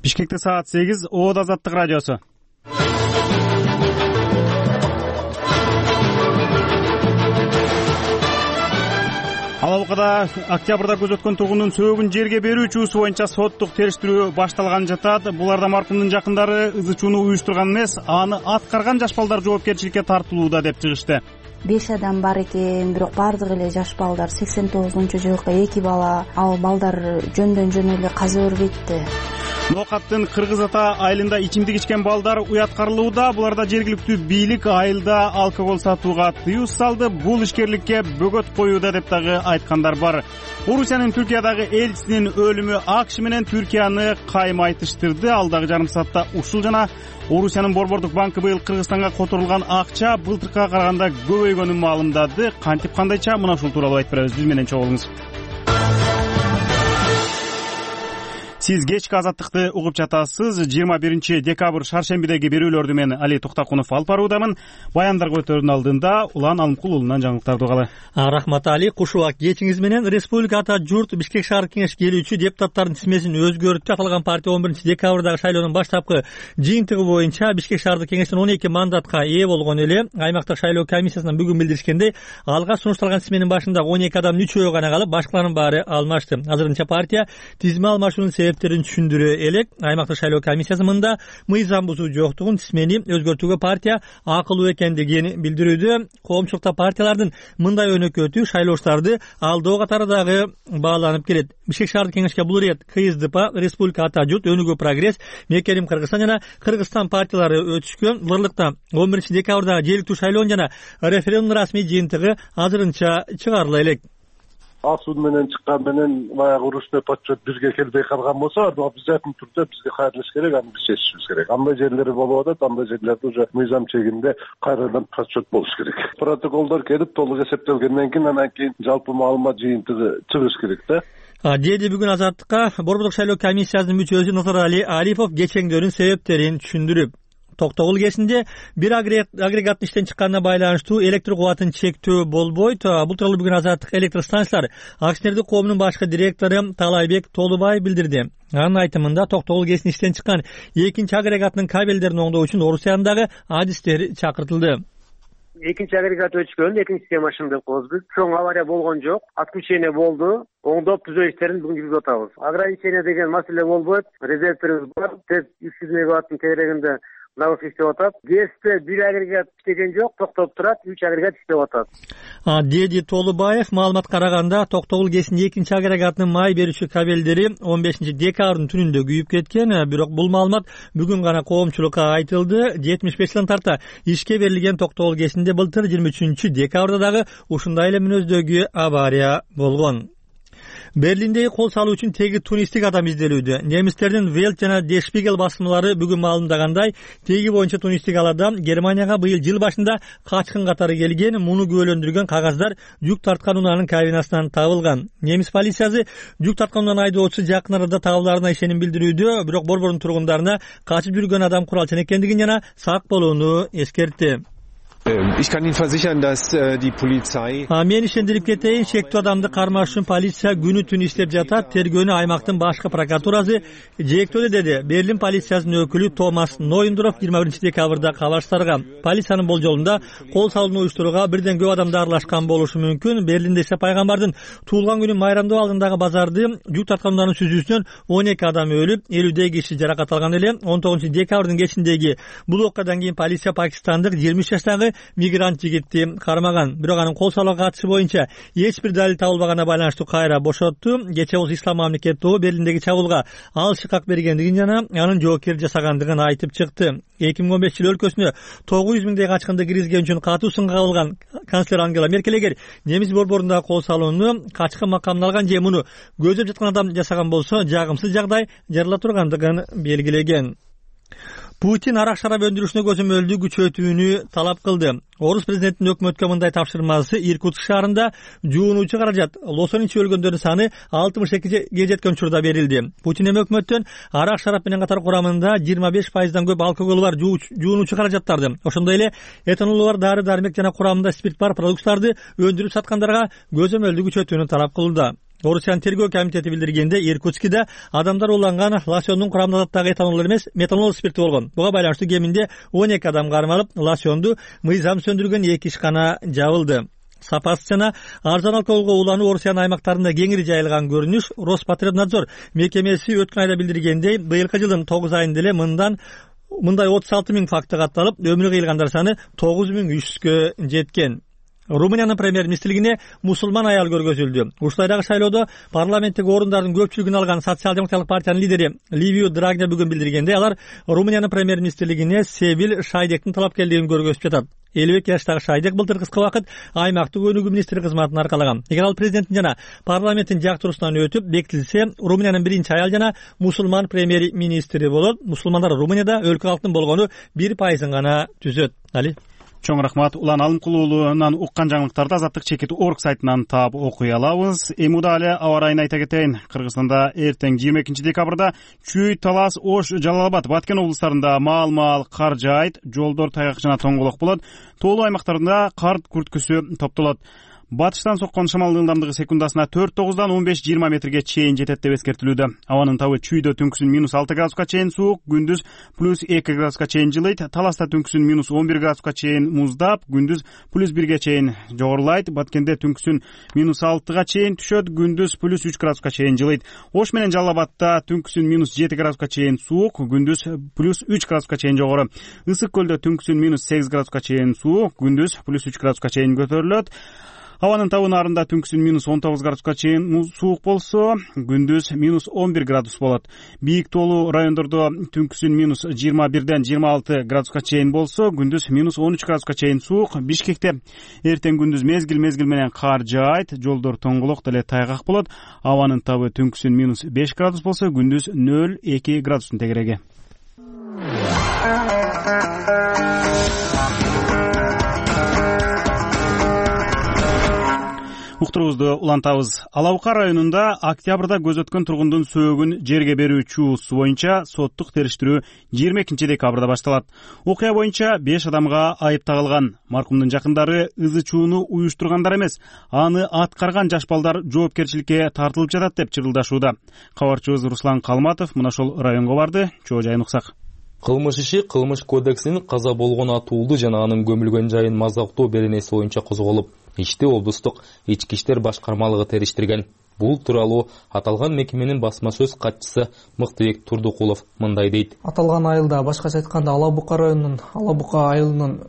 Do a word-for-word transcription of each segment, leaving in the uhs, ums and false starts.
Бишкекте саат сегиз, Оот Азаттык радиосу. Алалыкада октябрда көз өткөн тургундун сөөгүн жерге берүү учуусу боюнча соттук териштирүү башталган жатат. Буларда маркумдун жакындары ызы чууну уюштурган эмес, аны аткарган жаш балдар жоопкерчиликке тартылууда деп чыгышты. Беш адам бар экен, бирок баардыгы эле жаш балдар. сексен тогузунчу жылкы эки бала, ал балдар жөндөн жөн эле каза бербейтти. Ноокаттын Кыргыз Ата айылында ичимдик ичкен балдар уяткарылууда. Буларда жергиликтүү бийлик айылда алкогол сатууга тыюу салды. Бул ишкерликке бөгөт коюуда деп дагы айткандар бар. Орусиянын Түркиядагы элчисинин өлүмү АКШ менен Түркияны кайым айтыштырды. Алдагы жарым саатта ушул жана Орусиянын Борбордук банкы быйыл Кыргызстанга которулган акча былтыркыга караганда көбөйгөнүн маалымдады. Кантип кандайча мына ушул тууралуу айтып беребиз. Биз менен чогуу болуңуз. Сиз кечки Азаттыкты угуп жатасыз. жыйырма биринчи декабрь шаршембидеги берүүлөрдү мен Али Токтакунов алып баруудамын. Баяндарга өтөрдүн алдында Улан Алымкул уулунан жаңылыктарды угалы. Рахмат Али, куш убак кечиңиз менен Республика Ата журт Бишкек шаардык кеңешке келүүчү депутаттардын тизмесин өзгөртүп аталган партия он биринчи декабрдагы шайлоонун баштапкы жыйынтыгы боюнча Бишкек шаардык кеңештен он эки мандатка ээ болгон эле. Аймактык шайлоо комиссиясынан бүгүн билдиришкендей, алга сунушталган тизменин башында он эки адамдын үчөө гана калып, башкаларынын баары алмашты. Азырынча партия тизме алмашуунун себептерин түшүндүрө элек. Аймактык шайлоо комиссиясы мында мыйзам бузуу жоктугун, тизмени өзгөртүүгө партия акылуу экендигин билдирүүдө. Коомчулукта партиялардын мындай өнөкөтү шайлоочуларды алдоо катары дагы бааланып келет. Бишкек шаардык кеңешке бул ирет КСДП, Республика Ата журт, Өнүгүү прогресс, Мекерим Кыргызстан жана Кыргызстан партиялары өтүшкөн. Бурлукта он биринчи декабрда жергиликтүү шайлоонун жана референдум расмий жыйынтыгы азырынча чыгарыла элек. Асуд менен чыккан менен баягы урушпай подсчет бизге келбей калган болсо, обязательно түрдө бизге кайрылыш керек, аны биз чечишибиз керек. Андай жерлери болуп атат, андай жерлерде уже мыйзам чегинде кайрадан подсчет болуш керек. Протоколдор келип толук эсептелгенден кийин анан кийин жалпы маалымат жыйынтыгы чыгыш керек да. Деди бүгүн Азаттыкка Борбордук шайлоо комиссиясынын мүчөсү Нотарали Алипов кечеңдөрүн себептерин түшүндүрүп, Токтогул кесинде бир агрегаттын иштен чыкканына байланыштуу электр кубатын чектөө болбойт. Бул тууралуу бүгүн Азаттык электр станциялар акционердик коомунун башкы директору Талайбек Толубай билдирди. Анын айтымында Токтогул кесин иштен чыккан экинчи агрегаттын кабелдерин оңдоо үчүн Орусиядагы адистер чакыртылды. Экинчи агрегат өчкөн, экинчи системашын деп коебуз биз. Чоң авария болгон жок, отключение болду. Оңдоп түзөө иштерин бүгүн жүргүзүп атабыз. Ограничение деген маселе болбойт. Резервтерибиз бар. Тез үч жүз мегаваттын тегерегинде дагы иштеп атат. ГЭСте бир агрегат иштеген жок, токтоп турат, үч агрегат иштеп атат. Деди Толубаев маалымат караганда Токтогул кесинин экинчи агрегатынын май берүүчү кабелдери он бешинчи декабрдын түнүндө күйүп кеткен. Бирок бул маалымат бүгүн гана коомчулукка айтылды. жетимиш беш жылдан тарта ишке берилген Токтогул кесинде былтыр жыйырма үчүнчү декабрда дагы ушундай эле мүнөздөгү авария болгон. Берлиндеги кол салуу үчүн теги тунистик адам изделүүдө. Немистердин Welt жана Der Spiegel басмалары бүгүн маалымдагандай, теги боюнча тунистик ал адам Германияга быйыл жыл башында качкын катары келген. Муну күбөлөндүргөн кагаздар жүк тарткан унаанын кабинасынан табылган. Немис полициясы жүк тарткан унаанын айдоочусу жакын арада табылаарына ишеним билдирүүдө, бирок борбордун тургундарына качып жүргөн адам куралчан экендигин жана сак болууну эскертти. Ich kann Ihnen versichern, dass die Polizei Мен ишендирип кетейин, шектүү адамды кармаш үчүн полиция күнү түн иштеп жатат. Тергөөнү аймактын башкы прокуратурасы жээктөөдө, деди Берлин полициясынын өкүлү Томас Нойндорф жыйырма биринчи декабрда кабарчтарга. Полициянын болжолунда кол салууну уюштурууга бирден көп адамдар аралашкан болушу мүмкүн. Берлинде Иса пайгамбардын туулган күнүн майрамдоо алдындагы базарды жүк тарткандарынын сүзүүсүнөн он эки адам өлүп, элүүдөй киши жаракат алган эле. он тогузунчу декабрдын кечиндеги бул окуядан кийин полиция пакистандык жыйырма үч жаштагы мигрант жигитти кармаган. Бирок анын кол салууга катышы боюнча эч бир далил табылбаганына байланыштуу кайра бошотту. Кечээ болсо Ислам мамлекет тобу Берлиндеги чабуулга ал шыкак бергендигин жана анын жоопкердик жасагандыгын айтып чыкты. эки миң он беш жыл өлкөсүнө тогуз жүз миңдей качкынды киргизген үчүн катуу сынга алган канцлер Ангела Меркель эгер немис борборундагы кол салууну качкын макамына алган же муну көздөп жаткан адам жасаган болсо жагымсыз жагдай жарыла тургандыгын белгилеген. Путин арак шарап өндүрүшүнө көзөмөлдү күчөтүүнү талап кылды. Орус президентинин өкмөткө мындай тапшырмасы Иркутск шаарында жуунуучу каражат лосоничи өлгөндөрдүн саны алтымыш экиге жеткен учурда берилди. Путин эми өкмөттөн арак шарап менен катар курамында жыйырма беш пайыздан көп алкоголу бар жуунуучу каражаттарды, ошондой эле этанолу бар дары-дармек жана курамында спирт бар продукттарды өндүрүп саткандарга көзөмөлдү күчөтүүнү талап кылууда. Орусиянын тергөө комитети билдиргенде, Иркутскиде адамдар уланган лосьондун курамында дагы этанол эмес, метанол спирти болгон. Буга байланыштуу кеминде он эки адам кармалып, лосьонду мыйзам сөндүргөн эки ишкана жабылды. Сапасыз жана арзан алкоголго улануу Орусиянын аймактарында кеңири жайылган көрүнүш. Роспотребнадзор мекемеси өткөн айда билдиргендей, быйылкы жылдын тогуз айында эле мындан мындай отуз алты миң факты катталып, өмүрү кыйылгандар саны тогуз миң үч жүзгө жеткен. Румыниянын премьер-министрлигине мусулман аял көргөзүлдү. Ушулайдагы шайлоодо парламенттик орундардын көпчүлүгүн алган социал-демократиялык партиянын лидери Ливио Драгне бүгүн билдиргенде, алар Румыниянын премьер-министрлигине Себил Шайдектин талапкерлигин көргөзүп жатат. элүү эки жаштагы Шайдек былтыр кыска убакыт аймактык өнүгүү министри кызматын аркалаган. Эгер ал президенттин жана парламенттин жактыруусунан өтүп бекитилсе, Румыниянын биринчи аял жана мусулман премьер-министри болот. Мусулмандар Румынияда өлкө калктын болгону бир пайызын гана түзөт. Али Чоң рахмат. Улан Алымкулуулунан уккан жаңылыктарды Азаттык чекит орг сайтынан таап окуй алабыз. Эми эле аба райын айта кетейин. Кыргызстанда эртең жыйырма экинчи декабрда Чүй, Талас, Ош, Жалал Абад, Баткен облустарында маал-маал кар жаайт, жолдор тайгак жана тоңголок болот. Тоолуу аймактарында кар күрткүсү топтолот. Батыштан соккон шамалдын ылдамдыгы секундасына төрт тогуздан он беш жыйырма метрге чейин жетет деп эскертилүүдө. Абанын табы Чүйдө түнкүсүн минус алты градуска чейин суук, күндүз плюс эки градуска чейин жылыйт. Таласта түнкүсүн минус он бир градуска чейин муздап, күндүз плюс бирге чейин жогорулайт. Баткенде түнкүсүн минус алтыга чейин түшөт, күндүз плюс үч градуска чейин жылыйт. Ош менен Жалал Абадта түнкүсүн минус жети градуска чейин суук, күндүз плюс үч градуска чейин жогору. Ысык көлдө түнкүсүн минус сегиз градуска чейин суук, күндүз плюс үч градуска чейин көтөрүлөт. Абанын табы Нарында түнкүсүн минус он тогуз градуска чейин суук болсо, күндүз минус он бир градус болот. Бийик тоолуу райондордо түнкүсүн минус жыйырма бирден жыйырма алты градуска чейин болсо, күндүз минус он үч градуска чейин суук. Бишкекте эртең күндүз мезгил-мезгил менен кар жаайт, жолдор тоңголок деле тайгак болот. Абанын табы түнкүсүн минус беш градус болсо, күндүз нөл эки градустун тегереги. Уктурубузду улантабыз. Ала Бука районунда октябрда көз өткөн тургундун сөөгүн жерге берүү чуусу боюнча соттук териштирүү жыйырма экинчи декабрда башталат. Окуя боюнча беш адамга айып тагылган. Маркумдун жакындары ызы чууну уюштургандар эмес, аны аткарган жаш балдар жоопкерчиликке тартылып жатат деп чырылдашууда. Кабарчыбыз Руслан Калматов мына ошол районго барды. Чоо жайын уксак. Кылмыш иши кылмыш кодексинин каза болгон атуулду жана анын көмүлгөн жайын мазактоо беренеси боюнча козголуп, ишти облустук ички иштер башкармалыгы териштирген. Бул тууралуу аталган мекеменин басма сөз катчысы Мыктыбек Турдукулов мындай дейт. Аталган айылда, башкача айтканда, Ала Бука районунун Ала Бука айылынын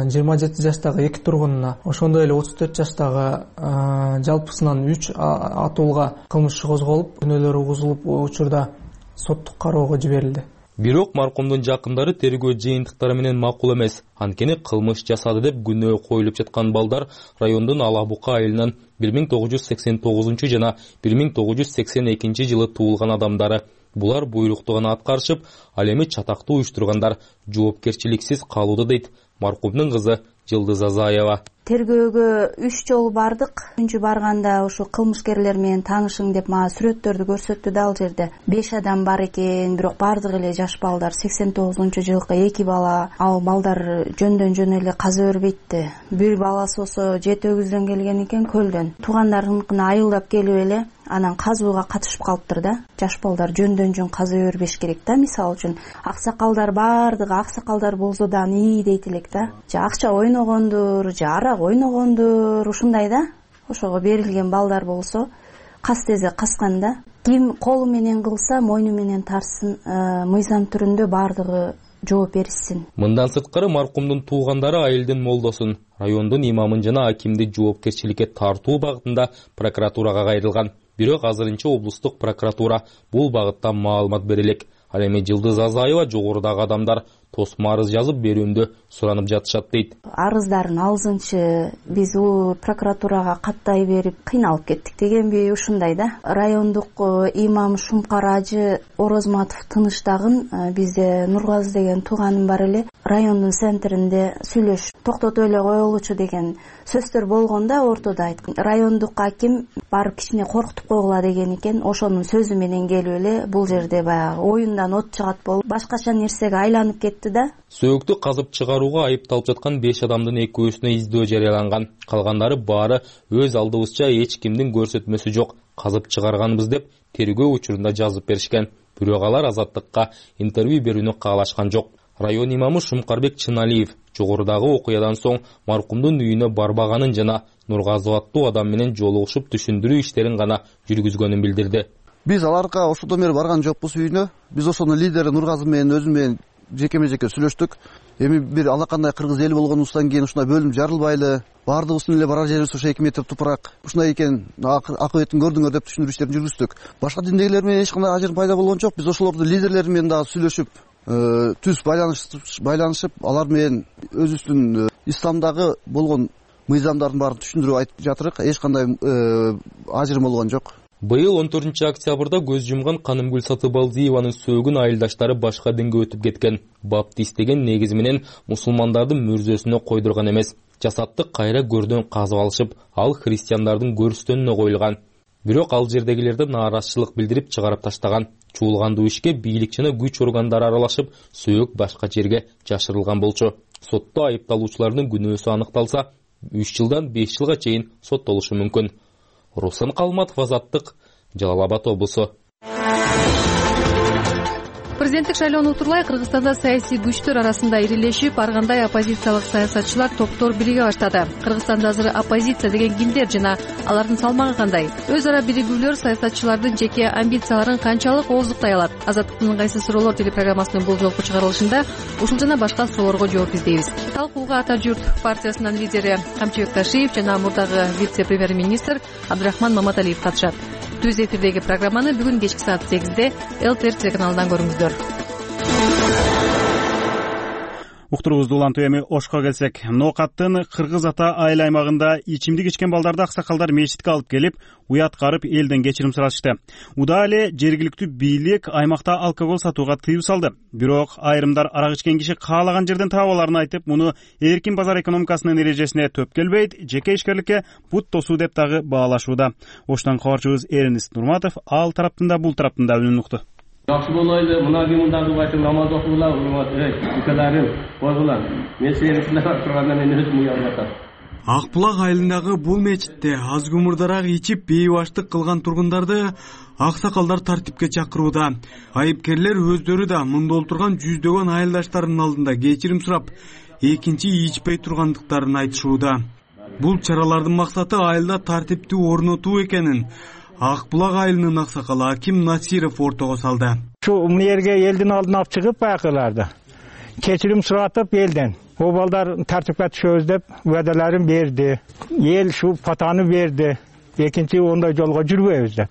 жыйырма жети жаштагы эки тургунуна, ошондой эле отуз төрт жаштагы жалпысынан үч атуулга кылмыш иши козголуп, күнөөлөр угузулуп, учурда соттук кароого жиберилди. Бирок маркумдун жакындары тергөө жыйынтыктары менен макул эмес. Анткени кылмыш жасады деп күнөө коюлуп жаткан балдар райондун Ала Бука айылынын бир миң тогуз жүз сексен тогузунчу жана бир миң тогуз жүз сексен экинчи жылы туулган адамдары. Булар буйрукту гана аткарышып, ал эми чатактуу уюштургандар жоопкерчиликсиз калууда дейт маркумдун кызы Жылдыз Азаева. Тергөөгө үч жолу бардык. Үчүнчү барганда ушу кылмышкерлер менен таанышың деп мага сүрөттөрдү көрсөттү да, ал жерде беш адам бар экен, бирок бардыгы эле жаш балдар. сексен тогузунчу жылкы эки бала, ал балдар жөндөн жөн эле каза бербейтти. Бир баласы болсо жети өгүздөн келген экен, көлдөн. Туугандарыныкына айылдап келип эле анан казууга катышып калыптыр да. Жаш балдар жөндөн жөн каза бербеш керек да. Мисалы үчүн аксакалдар, бардыгы аксакалдар болсо да ии дейт элек да. Же акча ойногондур, же арак ойногондур, ушундай да. Ошого берилген балдар болсо кас тезе каскан да. Ким колу менен кылса мойну менен тарсын, мыйзам түрүндө бардыгы жооп беришсин. Мындан сырткары маркумдун туугандары айылдын молдосун, райондун имамын жана акимди жоопкерчиликке тартуу багытында прокуратурага кайрылган. Бирок азырынча облустук прокуратура бул багытта маалымат бере элек. Ал эми Жылдыз Азаева жогорудагы адамдар тосмо арыз жазып берүүндө суранып жатышат дейт. Арыздарын алзынчы биз у прокуратурага каттай берип кыйналып кеттик дегенби, ушундай да. Райондук имам Шумкар Ажы Орозматов Тыныштагын бизде Нургазы деген тууганым бар эле. Райондун центринде сүйлөш токтотуп эле коелучу деген сөздөр болгон да, ортодо айткан. Райондук аким барып кичине коркутуп койгула деген экен. Ошонун сөзү менен келип эле бул жерде баягы оюндан от чыгат болуп, башкача нерсеге айланып кетти айтты да. Сөөктү казып чыгарууга айыпталып жаткан беш адамдын экөөсүнө издөө жарыяланган. Калгандары баары өз алдыбызча эч кимдин көрсөтмөсү жок, казып чыгарганбыз деп тергөө учурунда жазып беришкен. Бирок алар Азаттыкка интервью берүүнү каалашкан жок. Район имамы Шумкарбек Чыналиев жогорудагы окуядан соң маркумдун үйүнө барбаганын жана Нургазы аттуу адам менен жолугушуп түшүндүрүү иштерин гана жүргүзгөнүн билдирди. Биз аларга ошондон бери барган жокпуз үйүнө. Биз ошонун лидери Нургазы менен өзүм менен жекеме жеке сүйлөштүк. Эми бир алакандай кыргыз эли болгонубуздан кийин ушундай бөлүм жарылбайлы, баардыгыбыздын эле барар жерибиз ошо эки метр тупурак. Ушундай экен, акыбетін көрдүңөр деп түшүндүрүү иштерин жүргүздүк. Башка диндегилер менен эч кандай ажыр пайда болгон жок. Биз ошолордун лидерлери менен дагы сүйлөшүп, түз байланышып, алар менен өзүбүздүн исламдагы болгон мыйзамдардын баарын түшүндүрүп айтып жатырык. Эч кандай ажырым болгон жок. Быйыл он төртүнчү октябрда көз жумган Канымгүл Сатыбалдиеванын сөөгүн айылдаштары башка динге өтүп кеткен. Баптист деген негизи менен мусулмандардын мүрзөсүнө койдурган эмес. Жасатты кайра көрдөн казып алышып, ал христиандардын көрүстөнүнө коюлган. Бирок ал жердегилерде нааразычылык билдирип чыгарып таштаган. Чуулгандуу ишке бийлик жана күч органдары аралашып, сөök башка жерге жашырылган болчу. Сотто айыпталуучулардын күнөөсү аныкталса, үч жылдан беш жылга чейин соттолушу мүмкүн. Руслан Калматов, Азаттык, Жалал Абад облусу. Президенттик шайлоону утурлай Кыргызстанда саясий күчтөр арасында ирилешип, ар кандай оппозициялык саясатчылар топтор бириге баштады. Кыргызстанда азыр оппозиция деген кимдер жана алардын салмагы кандай? Өз ара биригүүлөр саясатчылардын жеке амбицияларын канчалык ооздуктай алат? Азаттыктын ыңгайсыз суроолор телепрограммасынын бул жолку чыгарылышында ушул жана башка суроолорго жооп издейбиз. Талкууга Ата журт партиясынын лидери Камчыбек Ташиев жана мурдагы вице-премьер-министр Абдрахман Маматалиев катышат. Түз эфирдеги программаны бүгүн кечки саат сегизде Эл Т Р телеканалынан көрүңүздөр. Уктуруубузду улантып эми Ошко келсек, Ноокаттын Кыргыз Ата айыл аймагында ичимдик ичкен балдарды аксакалдар мечитке алып келип, уяткарып элден кечирим сурашты. Уда эле жергиликтүү бийлик аймакта алкогол сатууга тыюу салды. Бирок айрымдар арак ичкен киши каалаган жерден таап аларын айтып, муну эркин базар экономикасынын эрежесине төп келбейт, жеке ишкерликке бут тосуу деп дагы баалашууда. Оштон кабарчыбыз Эрнест Нурматов ал тараптын да бул тараптын да үнүн укту. Жакшы болойлу, мына кимдагы байтын намаз окугула, урмат, укаларым, койгула. Мен сени сынап тургандан мен өзүм уялып атам. Акбулак айылындагы бул мечитте аз күмүрдараак ичип бейбаштык кылган тургундарды аксакалдар тартипке чакырууда. Айыпкерлер өздөрү да мында олтурган жүздөгөн айылдаштарынын алдында кечирим сурап, экинчи ичпей тургандыктарын айтышууда. Бул чаралардын максаты айылда тартипти орнотуу экенин Акбулак айылынын аксакалы Аким Насиров ортого салды. Şu yerге элдин алдына алып чыгып байкыларды. Кечирим суратып элден. О балдар тартипке түшөбүз деп уадаларын берди. Эл şu патаны берди. Экинчи ондай жолго жүрбөйбүз деп.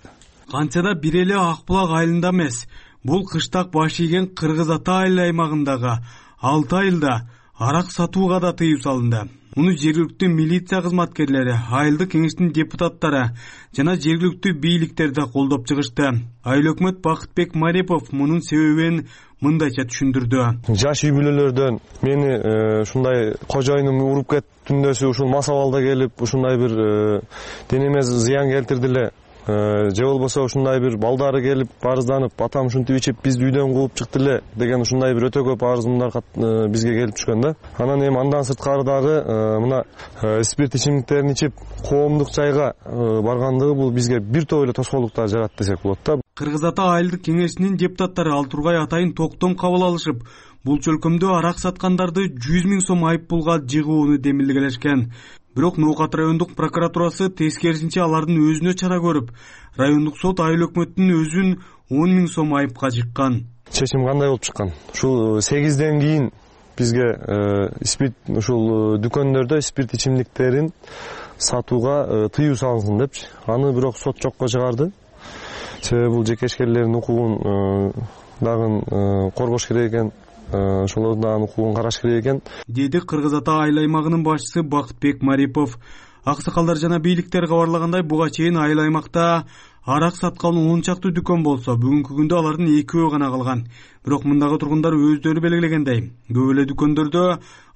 Канчада бир эле Акбулак айылында эмес, бул кыштак баш ийген Кыргыз Ата айыл аймагындагы алты айылда арак сатууга да тыюу салынды. Муну жергиликтүү милиция кызматкерлери, айылдык кеңештин депутаттары жана жергиликтүү бийликтер да колдоп чыгышты. Айыл өкмөт Бакытбек Марипов мунун себебин мындайча түшүндүрдү. Жаш үй бүлөлөрдөн мени ушундай кожоюнум уруп кеттүндөсү ушул масабалда келип, ушундай бир денеме зыян келтирди эле. Же болбосо ушундай бир балдары келип арызданып, атам ушинтип ичип бизди үйдөн кууп чыкты эле деген ушундай бир өтө көп арызымдар бизге келип түшкөн да. Анан эми андан сырткары дагы мына спирт ичимдиктерин ичип коомдук жайга баргандыгы бул бизге бир топ эле тоскоолдуктар жаратты десек болот да. Кыргыз Ата айылдык кеңешинин депутаттары Алтургай Атайын токтом кабыл алышып, бул чөлкөмдө арак саткандарды жүз миң сом айып пулга жыгууну демилгелешкен. Бирок Ноокат райондук прокуратурасы тескерисинче алардын өзүнө чара көрүп, райондук сот айыл өкмөттүн өзүн он миң сом айыпка жыккан. Чечим кандай болуп чыккан? Ушул сегизден кийин бизге спирт ушул дүкөндөрдө спирт ичимдиктерин сатууга тыюу салынсын депчи. Аны бирок сот жокко чыгарды. Себеби бул жеке ишкерлердин укугун дагы коргош керек экен. Ошолордун да укугун караш керек экен, деди Кыргыз Ата айыл аймагынын башчысы Бакытбек Марипов. Аксакалдар жана бийликтер кабарлагандай, буга чейин айыл аймакта арак саткан он чакты дүкөн болсо, бүгүнкү күндө алардын экөө гана калган. бирок мындагы тургундар өздөрү белгилегендей көп эле дүкөндөрдө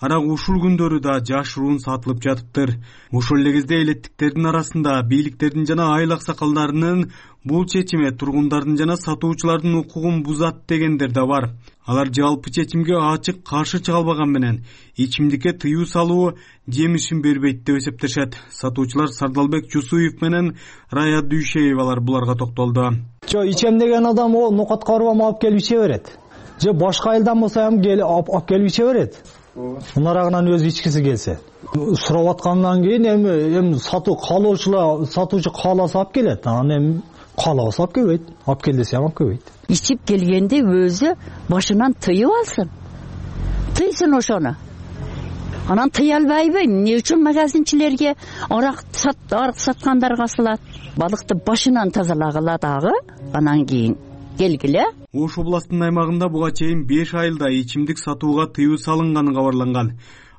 арак ушул күндөрү да жашыруун сатылып жатыптыр. Ошол эле кезде элеттиктердин арасында бийликтердин жана айыл аксакалдарынын бул чечими тургундардын жана сатуучулардын укугун бузат дегендер да бар. Алар жалпы чечимге ачык каршы чыга албаган менен ичимдикке тыюу салуу жемишин бербейт деп эсептешет. Сатуучулар Сардалбек Жусуев менен Рая Дүйшеевалар буларга токтолду. Жо ичем деген адам о нукатка барбам алып келип иче берет. Же башка айылдан болсо ham келип алып келип иче берет. Мунарагынан өзү ичкиси келсе. Сурап аткандан кийин эми эми сатуу каалоочулар сатуучу кааласа алып келет. Анан эми каалабаса алып келбейт. Алып кел десе алып келбейт. Ичип келгенде өзү башынан тыйып алсын. Тыйсын ошону. Анан тыя албайбы? Эмне үчүн магазинчилерге арак сат арак саткандарга салат? Балыкты башынан тазалагыла дагы, анан кийин келгиле. Ош областынын аймагында буга чейин беш айылда ичимдик сатууга тыюу салынганы кабарланган.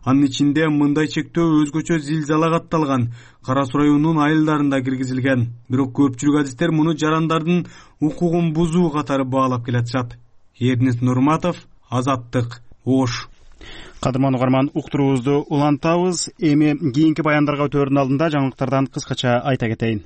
Анын ичинде мындай чектөө өзгөчө Зилзала катталган Кара Суу районунун айылдарында киргизилген. Бирок көпчүлүк адистер муну жарандардын укугун бузуу катары баалап келатышат. Эрнест Нурматов, Азаттык, Ош. Кадырман угарман, уктуруубузду улантабыз. Эми кийинки баяндарга өтөөрдүн алдында жаңылыктардан кыскача айта кетейин.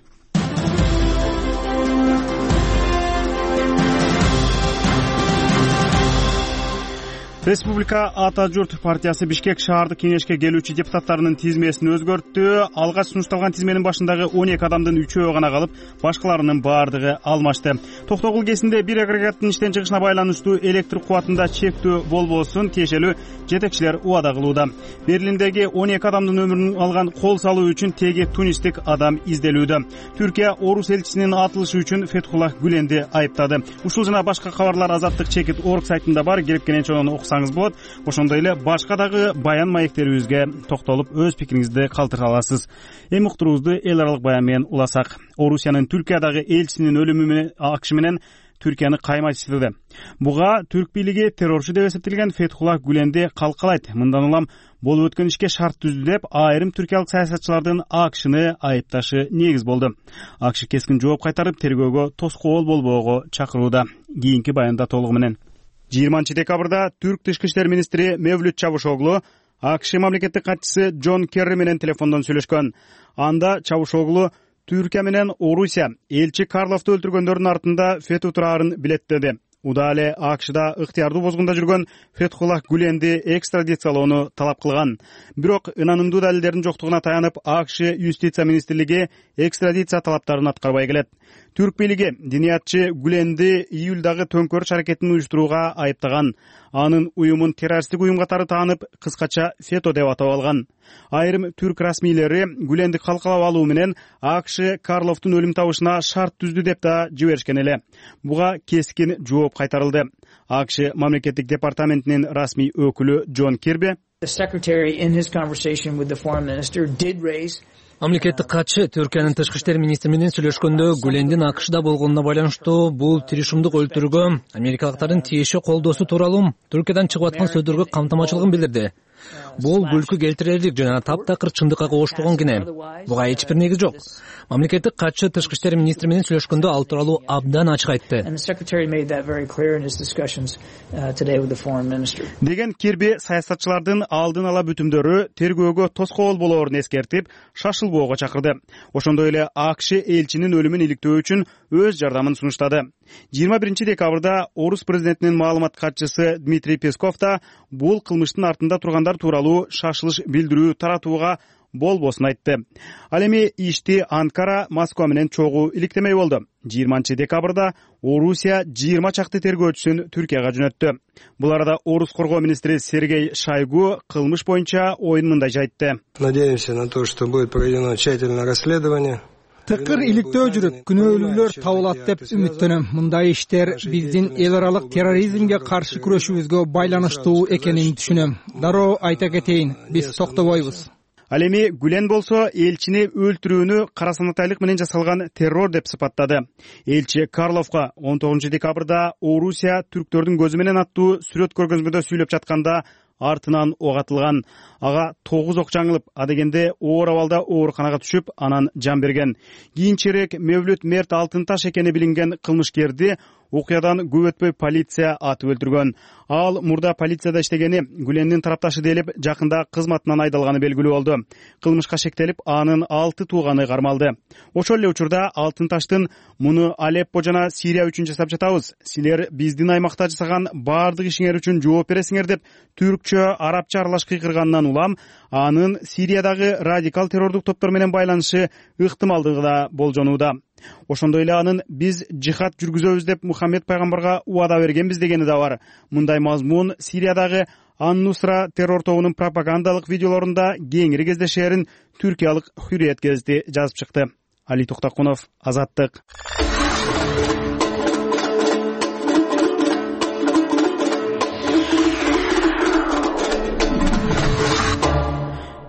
Республика Ата журт партиясы Бишкек шаардык кеңешке келүүчү депутаттарынын тизмесин өзгөрттү. Алгач сунушталган тизменин башындагы он эки адамдын үчөө гана калып, башкаларынын баардыгы алмашты. Токтогул кесинде бир агрегаттын иштен чыгышына байланыштуу электр кубатында чектөө болбосун тиешелүү жетекчилер убада кылууда. Берлиндеги он эки адамдын өмүрүн алган кол салуу үчүн теги тунистик адам изделүүдө. Түркия орус элчисинин атылышы үчүн Фетхуллах Гүленди айыптады. Ушул жана башка кабарлар Азаттык чекит орг сайтында бар, келип келенче окусаңыз болот. Ошондой эле башка дагы баян маектерибизге токтолуп өз пикириңизди калтыра аласыз. Эми уктуруубузду эл аралык баян менен уласак. Орусиянын Түркиядагы элчисинин өлүмү менен акш менен Түркияны каймайтыштырды. Буга түрк бийлиги террорчу деп эсептелген Фетхуллах Гүленди калкалайт. Мындан улам болуп өткөн ишке шарт түздү деп айрым түркиялык саясатчылардын акшны айыпташы негиз болду. Акш кескин жооп кайтарып, тергөөгө тоскоол болбоого чакырууда. Кийинки баянда толугу менен. жыйырманчы декабрда түрк тышкы иштер министри Мевлют Чавушоглу акш мамлекеттик катчысы Джон Керри менен телефондон сүйлөшкөн. Анда Чавушоглу Түркия менен Орусия элчи Карловду өлтүргөндөрдүн артында Фету турарын билеттеди. Уда эле акшда ыктыярдуу бозгунда жүргөн Фетхуллах Гүленди экстрадициялоону талап кылган. Бирок ынанымдуу далилдердин жоктугуна таянып, акш юстиция министрлиги экстрадиция талаптарын аткарбай келет. Түрк бийлиги диниятчы Гүленди июлдагы төңкөрүш аракетин уюштурууга айыптаган. Анын уюмун террористтик уюм катары таанып, кыскача Фето деп атап алган. Айрым түрк расмийлери Гүленди калкалап алуу менен акш Карловдун өлүм табышына шарт түздү деп да жиберишкен эле. Буга кескин жооп кайтарылды. акш мамлекеттик департаментинин расмий өкүлү Джон Кирби Мамлекеттик катчы Түркиянын тышкы иштер министри менен сүйлөшкөндө Гүлендин акшда болгонуна байланыштуу бул тиришимдик өлтүрүүгө америкалыктардын тиеши колдоосу тууралуу Түркиядан чыгып аткан сөздөргө камтамачылыгын билдирди. Бул күлкү келтирерлик жана таптакыр чындыкка кооштурган кине. Буга эч бир негиз жок. Мамлекеттик катчы тышкы иштер министри менен сүйлөшкөндө ал тууралуу абдан ачык айтты. Деген Кирби саясатчылардын алдын ала бүтүмдөрү тергөөгө тоскоол болоорун эскертип, шашылбоого чакырды. Ошондой эле акш элчинин өлүмүн иликтөө үчүн өз жардамын сунуштады. жыйырма биринчи декабрда орус президентинин маалымат катчысы Дмитрий Песков да бул кылмыштын артында тургандар тууралуу шашылыш билдирүү таратууга болбосун айтты. Ал эми ишти Анкара Москва менен чогуу иликтемей болду. жыйырманчы декабрда Орусия жыйырма чакты тергөөчүсүн Түркияга жөнөттү. Бул арада орус коргоо министри Сергей Шойгу кылмыш боюнча оюн мындай айтты. Надеемся на то, что будет проведено тщательное расследование. Тыкыр иликтөө жүрүп, күнөөлүүлөр табылат деп үмүттөнөм. Мындай иштер биздин эл аралык терроризмге каршы күрөшүүбүзгө байланыштуу экенин түшүнөм. Дароо айта кетейин, биз токтобойбуз. Ал эми Гүлен болсо элчини өлтүрүүнү карасанатайлык менен жасалган террор деп сыпаттады. Элчи Карловго он тогузунчу декабрда Орусия түрктөрдүн көзү менен аттуу сүрөт көргөзмөдө сүйлөп жатканда артынан ок атылган. Ага тогуз ок жаңылып, адегенде оор абалда ооруканага түшүп, анан жан берген. Кийинчерээк Мевлют Мерт Алтын таш экени билинген кылмышкерди окуядан көп өтпөй полиция атып өлтүргөн. Ал мурда полицияда иштегени, Гүлендин тарапташы делип, жакында кызматынан айдалганы белгилүү болду. Кылмышка шектелип, анын алты тууганы кармалды. Ошол эле учурда Алтын Таштын муну Алеппо жана Сирия үчүн жасап жатабыз. Силер биздин аймакта жасаган баардык ишиңер үчүн жооп бересиңер деп түркчө, арабча аралаш кыйкырганынан улам, анын Сириядагы радикал террордук топтор менен байланышы ыктымалдыгы да болжонууда. Ошондой эле анын биз жихад жүргүзөбүз деп Мухаммед пайгамбарга убада бергенбиз дегени да бар. Мындай мазмун Сириядагы Ан-Нусра террор тобунун пропагандалык видеолорунда кеңири кездешээрин түркиялык Hürriyet гезити жазып чыкты. Али Токтокунов, Азаттык.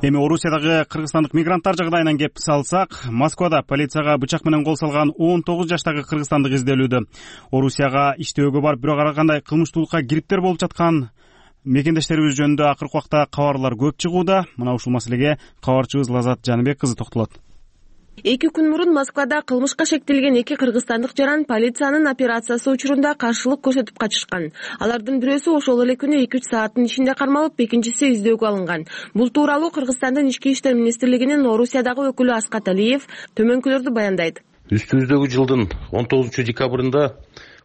Эми Орусиядагы кыргызстандык мигранттар жагдайынан кеп салсак, Москвада полицияга бычак менен кол салган он тогуз жаштагы кыргызстандык изделүүдө. Орусияга иштөөгө барып, бирок ар кандай кылмыштуулукка кириптер болуп жаткан мекендештерибиз жөнүндө акыркы убакта кабарлар көп чыгууда. Мына ушул маселеге кабарчыбыз Лазат Жаныбек кызы токтолот. Эки күн мурун Москвада кылмышка шектелген эки кыргызстандык жаран полициянын операциясы учурунда каршылык көрсөтүп качышкан. Алардын бирөөсү ошол эле күнү эки үч сааттын ичинде кармалып, экинчиси издөөгө алынган. Бул тууралуу Кыргызстандын ички иштер министрлигинин Орусиядагы өкүлү Аскат Алиев төмөнкүлөрдү баяндайт. Үстүбүздөгү жылдын он тогузунчу декабрында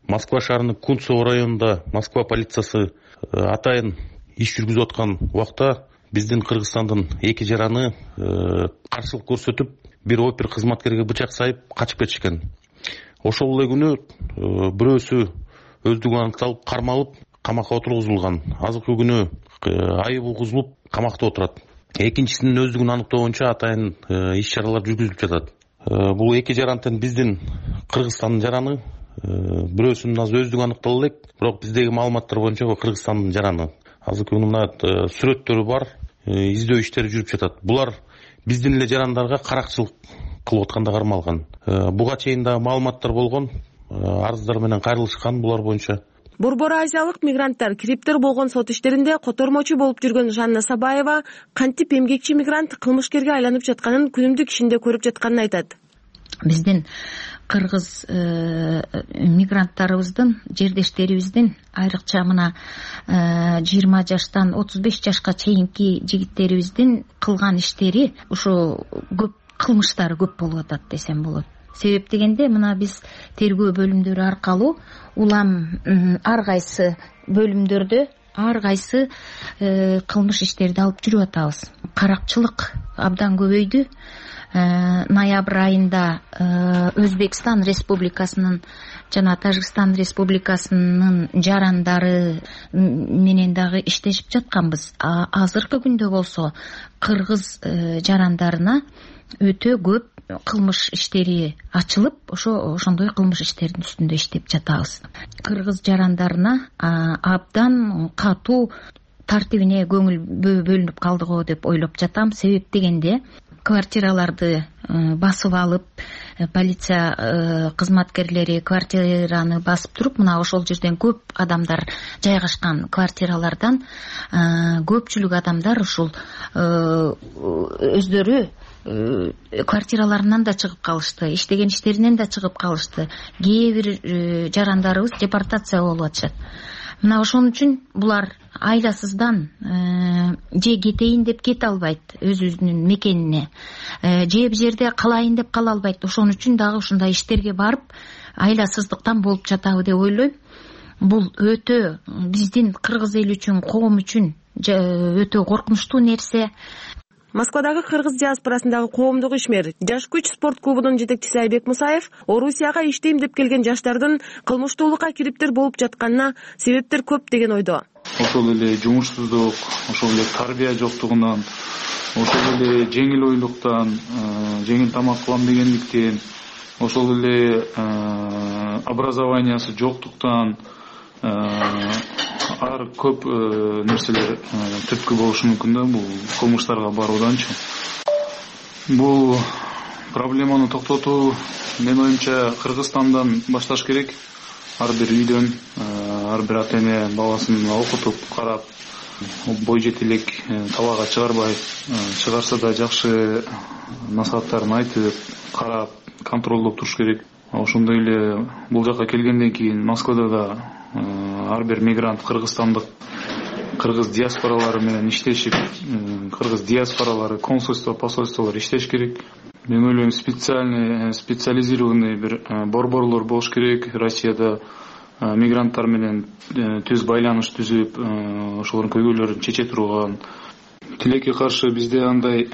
Москва шаарынын Кунцово районунда Москва полициясы атайын иш жүргүзүп аткан убакта биздин Кыргызстандын эки жараны каршылык көрсөтүп, бир опер кызматкерге бычак сайып качып кетишкен. Ошол эле күнү бирөөсү өздүгү аныкталып, кармалып, камакка отургузулган. Азыркы күнү айып угузулуп, камакта отурат. Экинчисинин өздүгүн аныктоо боюнча атайын иш чаралар жүргүзүлүп жатат. Бул эки жарантын биздин Кыргызстандын жараны, бирөөсүнүн азыр өздүгү аныктала элек, бирок биздеги маалыматтар боюнча Кыргызстандын жараны. Азыркы күнү мына сүрөттөрү бар, издөө иштери жүрүп жатат. Булар биздин эле жарандарга каракчылык кылып атканда кармалган. Буга чейин да маалыматтар болгон, арыздар менен кайрылышкан булар боюнча. Борбор Азиялык мигранттар кириптер болгон сот иштеринде котормочу болуп жүргөн Жанна Сабаева кантип эмгекчи мигрант кылмышкерге айланып жатканын күнүмдүк ишинде көрүп жатканын айтат. Биздин кыргыз мигранттарыбыздын, жердештерибиздин, айрыкча мына жыйырма жаштан отуз беш жашка чейинки жигиттерибиздин кылган иштери ушул көп кылмыштары көп болуп атат десем болот. Себеп дегенде мына биз тергөө бөлүмдөрү аркылуу улам ар кайсы бөлүмдөрдө ар кайсы кылмыш иштерди алып жүрүп атабыз. Каракчылык абдан көбөйдү. Ноябрь айында Өзбекстан Республикасынын жана Тажикстан Республикасынын жарандары менен дагы иштешип жатканбыз. Азыркы күндө болсо кыргыз жарандарына өтө көп кылмыш иштери ачылып, ошо ошондой кылмыш иштердин үстүндө иштеп жатабыз. Кыргыз жарандарына абдан катуу тартибине көңүл бөлүнүп калды го деп ойлоп жатам. Себеп дегенде квартираларды басып алып, полиция кызматкерлери квартираны басып туруп, мына ошол жерден көп адамдар жайгашкан квартиралардан көпчүлүк адамдар ушул өздөрү квартираларынан да чыгып калышты, иштеген иштеринен да чыгып калышты. Кээ бир жарандарыбыз депортация болуп атышат. Мына ошон үчүн булар айласыздан же кетейин деп кете албайт өзүнүн мекенине, же бир жерде калайын деп кала албайт. Ошон үчүн дагы ушундай иштерге барып айласыздыктан болуп жатабы деп ойлойм. Бул өтө биздин кыргыз эли үчүн, коом үчүн өтө коркунучтуу нерсе. Москвадагы кыргыз диаспорасындагы коомдук ишмер Жаш күч спорт клубунун жетекчиси Айбек Мусаев Орусияга иштейм деп келген жаштардын кылмыштуулукка кириптер болуп жатканына себептер көп деген ойдо. Ошол эле жумушсуздук, ошол эле тарбия жоктугунан, ошол эле жеңил ойлуктан, жеңил тамак кылам дегендиктен, ошол эле образованиясы жоктуктан, ар көп нерселер түрткү болушу мүмкүн да бул кылмыштарга барууданчы. Бул проблеманы токтотуу менин оюмча Кыргызстандан башташ керек. Ар бир үйдөн ар бир ата эне баласын окутуп, карап, бой жетелек талаага чыгарбай, чыгарса да жакшы насааттарын айтып, карап, контролдоп туруш керек. ошондой эле бул жака келгенден кийин Москвада да ар бир мигрант кыргызстандык кыргыз диаспоралары менен иштешип, кыргыз диаспоралары консульство, посольстволор иштеш керек. Мен ойлойм, специальный специализированный бир борборлор болуш керек. Россияда мигранттар менен түз байланыш түзүп, ошолордун көйгөйлөрүн чече турган. Тилекке каршы бизде андай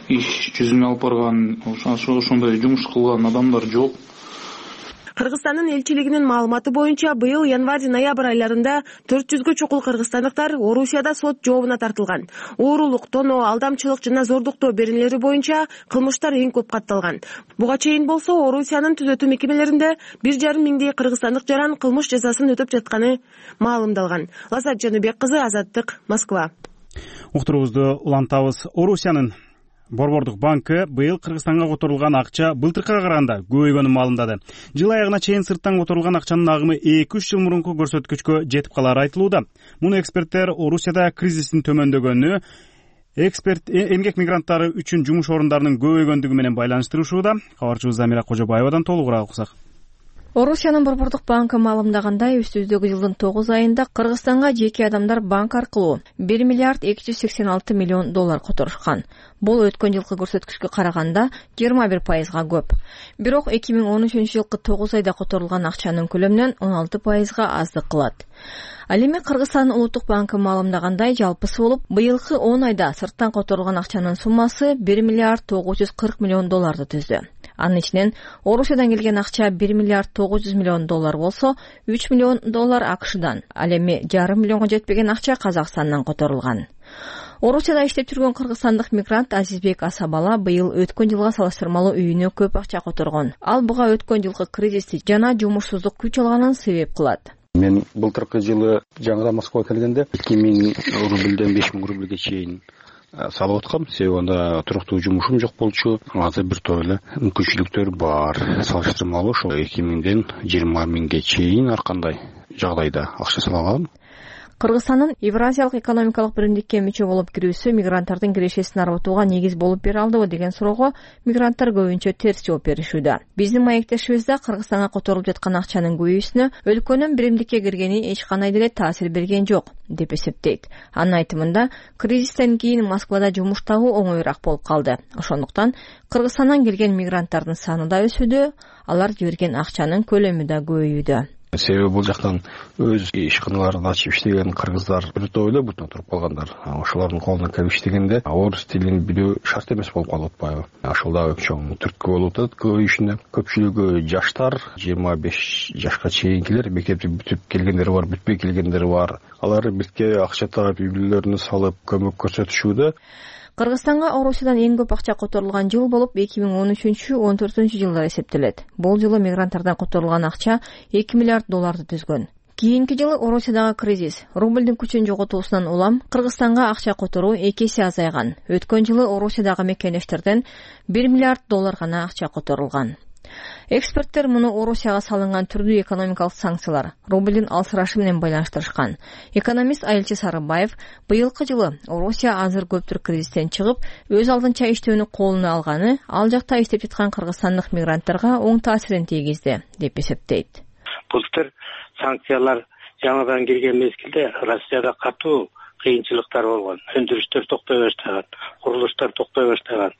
иш жүзүнө алып барган, ошондой жумуш кылган адамдар жок. Кыргызстандын элчилигинин маалыматы боюнча быйыл январь-ноябрь айларында төрт жүзгө чукул кыргызстандыктар Орусияда сот жообуна тартылган. Оорулук, тоноо, алдамчылык жана зордуктоо беренелери боюнча кылмыштар эң көп катталган. Буга чейин болсо Орусиянын түзөтүү мекемелеринде бир жарым миңдей кыргызстандык жаран кылмыш жазасын өтөп жатканы маалымдалган. Лазат Жаныбек кызы, Азаттык, Москва. Уктуруубузду улантабыз. Орусиянын Борбордук банкы быйыл Кыргызстанга которулган акча былтыркыга караганда көбөйгөнүн маалымдады. Жыл аягына чейин сырттан которулган акчанын агымы эки үч жыл мурунку көрсөткүчкө жетип калары айтылууда. Муну эксперттер Орусияда кризистин төмөндөгөнү, эксперт эмгек мигранттары үчүн жумуш орундарынын көбөйгөндүгү менен байланыштырышууда. Кабарчыбыз Замира Кожобаевадан толугураак уксак. Орусиянын Борбордук банкы маалымдагандай, үстүбүздөгү жылдын тогуз айында Кыргызстанга жеке адамдар банк аркылуу бир миллиард эки жүз сексен алты миллион доллар которушкан. Бул өткөн жылкы көрсөткүчкө караганда жыйырма бир пайызга көп. Бирок эки миң он үчүнчү жылкы тогуз айда которулган акчанын көлөмүнөн он алты пайызга аздык кылат. Ал эми Кыргызстандын Улуттук банкы маалымдагандай, жалпысы болуп быйылкы он айда сырттан которулган акчанын суммасы бир миллиард тогуз жүз кырк миллион долларды түздү. Анын ичинен Орусиядан келген акча бир миллиард тогуз жүз миллион доллар болсо, үч миллион доллар АКШдан, ал эми жарым миллионго жетпеген акча Казакстандан которулган. Орусияда иштеп жүргөн кыргызстандык мигрант Азизбек Асабала быйыл өткөн жылга салыштырмалуу үйүнө көп акча которгон. Ал буга өткөн жылкы кризисти жана жумушсуздук күч алганын себеп кылат. Мен былтыркы жылы жаңыдан Москвага келгенде эки миң рубльден беш миң рубльге чейин салып аткам. Себеби анда туруктуу жумушум жок болчу. Азыр бир топ эле мүмкүнчүлүктөр бар. Салыштырмалуу ошо эки миңден жыйырма миңге чейин ар кандай жагдайда акча сала алам. Кыргызстандын Евразиялык экономикалык биримдикке мүчө болуп кирүүсү мигранттардын кирешесин арбытууга негиз болуп бере алдыбы деген суроого мигранттар көбүнчө терс жооп беришүүдө. Биздин маектешибиз да Кыргызстанга которулуп жаткан акчанын көбөйүүсүнө өлкөнүн биримдикке киргени эч кандай деле таасир берген жок деп эсептейт. Анын айтымында, кризистен кийин Москвада жумуш табуу оңоюраак болуп калды. Ошондуктан Кыргызстандан келген мигранттардын саны да өсүүдө, алар жиберген акчанын көлөмү да көбөйүүдө. Себеби бул жактан өз ишканаларын ачып иштеген кыргыздар бир топ эле бутуна туруп калгандар. Ошолордун колуна кирип иштегенде орус тилин билүү шарт эмес болуп калып атпайбы? Ошол да чоң түрткү болуп атат көбөйүшүнө. Көпчүлүгү жаштар, жыйырма беш жашка чейинкилер, мектепти бүтүп келгендери бар, бүтпөй келгендери бар. Алар бирке акча таап, үй бүлөлөрүнө салып көмөк көрсөтүшүүдө. Кыргызстанга Орусиядан эң көп акча которулган жыл болуп эки миң он үчүнчү — он төртүнчү жылдар эсептелет. Бул жылы мигранттардан которулган акча эки миллиард долларды түзгөн. Кийинки жылы Орусиядагы кризис, рубльдин күчүн жоготуусунан улам Кыргызстанга акча которуу эки эсе азайган. Өткөн жылы Орусиядагы мекендештерден бир миллиард доллар гана акча которулган. Эксперттер муну Орусияга салынган түрдүү экономикалык санкциялар, рубльдин алсырашы менен байланыштырышкан. Экономист Айылчы Сарыбаев быйылкы жылы Орусия азыр көптүр кризистен чыгып, өз алдынча иштөөнү колуна алганы ал жакта иштеп жаткан кыргызстандык мигранттарга оң таасирин тийгизди деп эсептейт. Былтыр санкциялар жаңыдан кирген мезгилде Россияда катуу кыйынчылыктар болгон. Өндүрүштөр токтой баштаган, курулуштар токтой баштаган,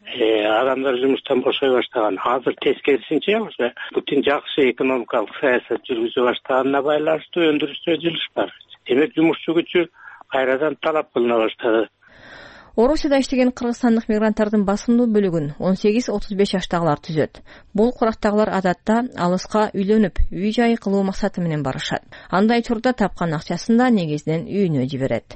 адамдар жумуштан бошой баштаган. Азыр тескерисинче Путин жакшы экономикалык саясат жүргүзө баштаганына байланыштуу өндүрүштө жылыш бар. Демек жумушчу күчү кайрадан талап кылына баштады. Орусияда иштеген кыргызстандык мигранттардын басымдуу бөлүгүн он сегиз отуз беш жаштагылар түзөт. Бул курактагылар адатта алыска үйлөнүп, үй жай кылуу максаты менен барышат. Андай учурда тапкан акчасын да негизинен үйүнө жиберет.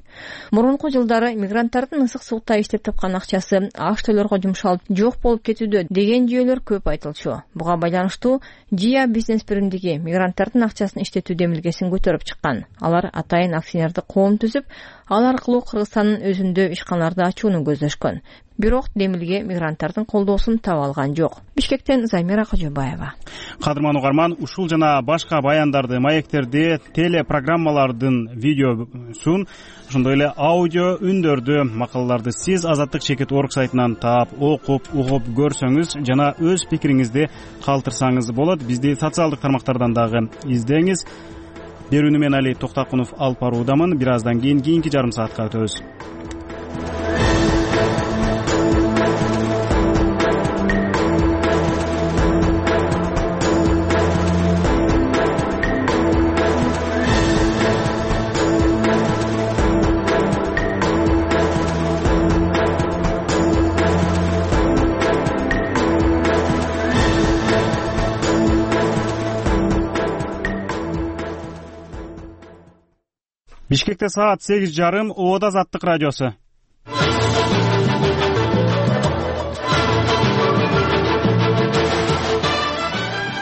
Мурунку жылдары мигранттардын ысык суукта иштеп тапкан акчасы аш төлөргө жумшалып, жок болуп кетүүдө деген жүйөлөр көп айтылчу. Буга байланыштуу Жия бизнес биримдиги мигранттардын акчасын иштетүү демилгесин көтөрүп чыккан. Алар атайын акционердик коом түзүп, Ал аркылуу Кыргызстандын өзүндө ишканаларды ачууну көздөшкөн. Бирок демилге мигранттардын колдоосун таба алган жок. Бишкектен Замира Кожобаева. Кадырман угарман, ушул жана башка баяндарды, маектерди, телепрограммалардын видеосун, ошондой эле аудио үндөрдү, макалаларды сиз Азаттык чекит орг сайтынан таап, окуп, угуп көрсөңүз жана өз пикириңизди калтырсаңыз болот. Бизди социалдык тармактардан дагы издеңиз. Берүүнү мен Али Токтакунов алып баруудамын. Бир аздан кийин кийинки жарым саатка өтөбүз. Бишкекте саат сегиз жарым, Обода Азаттык радиосу.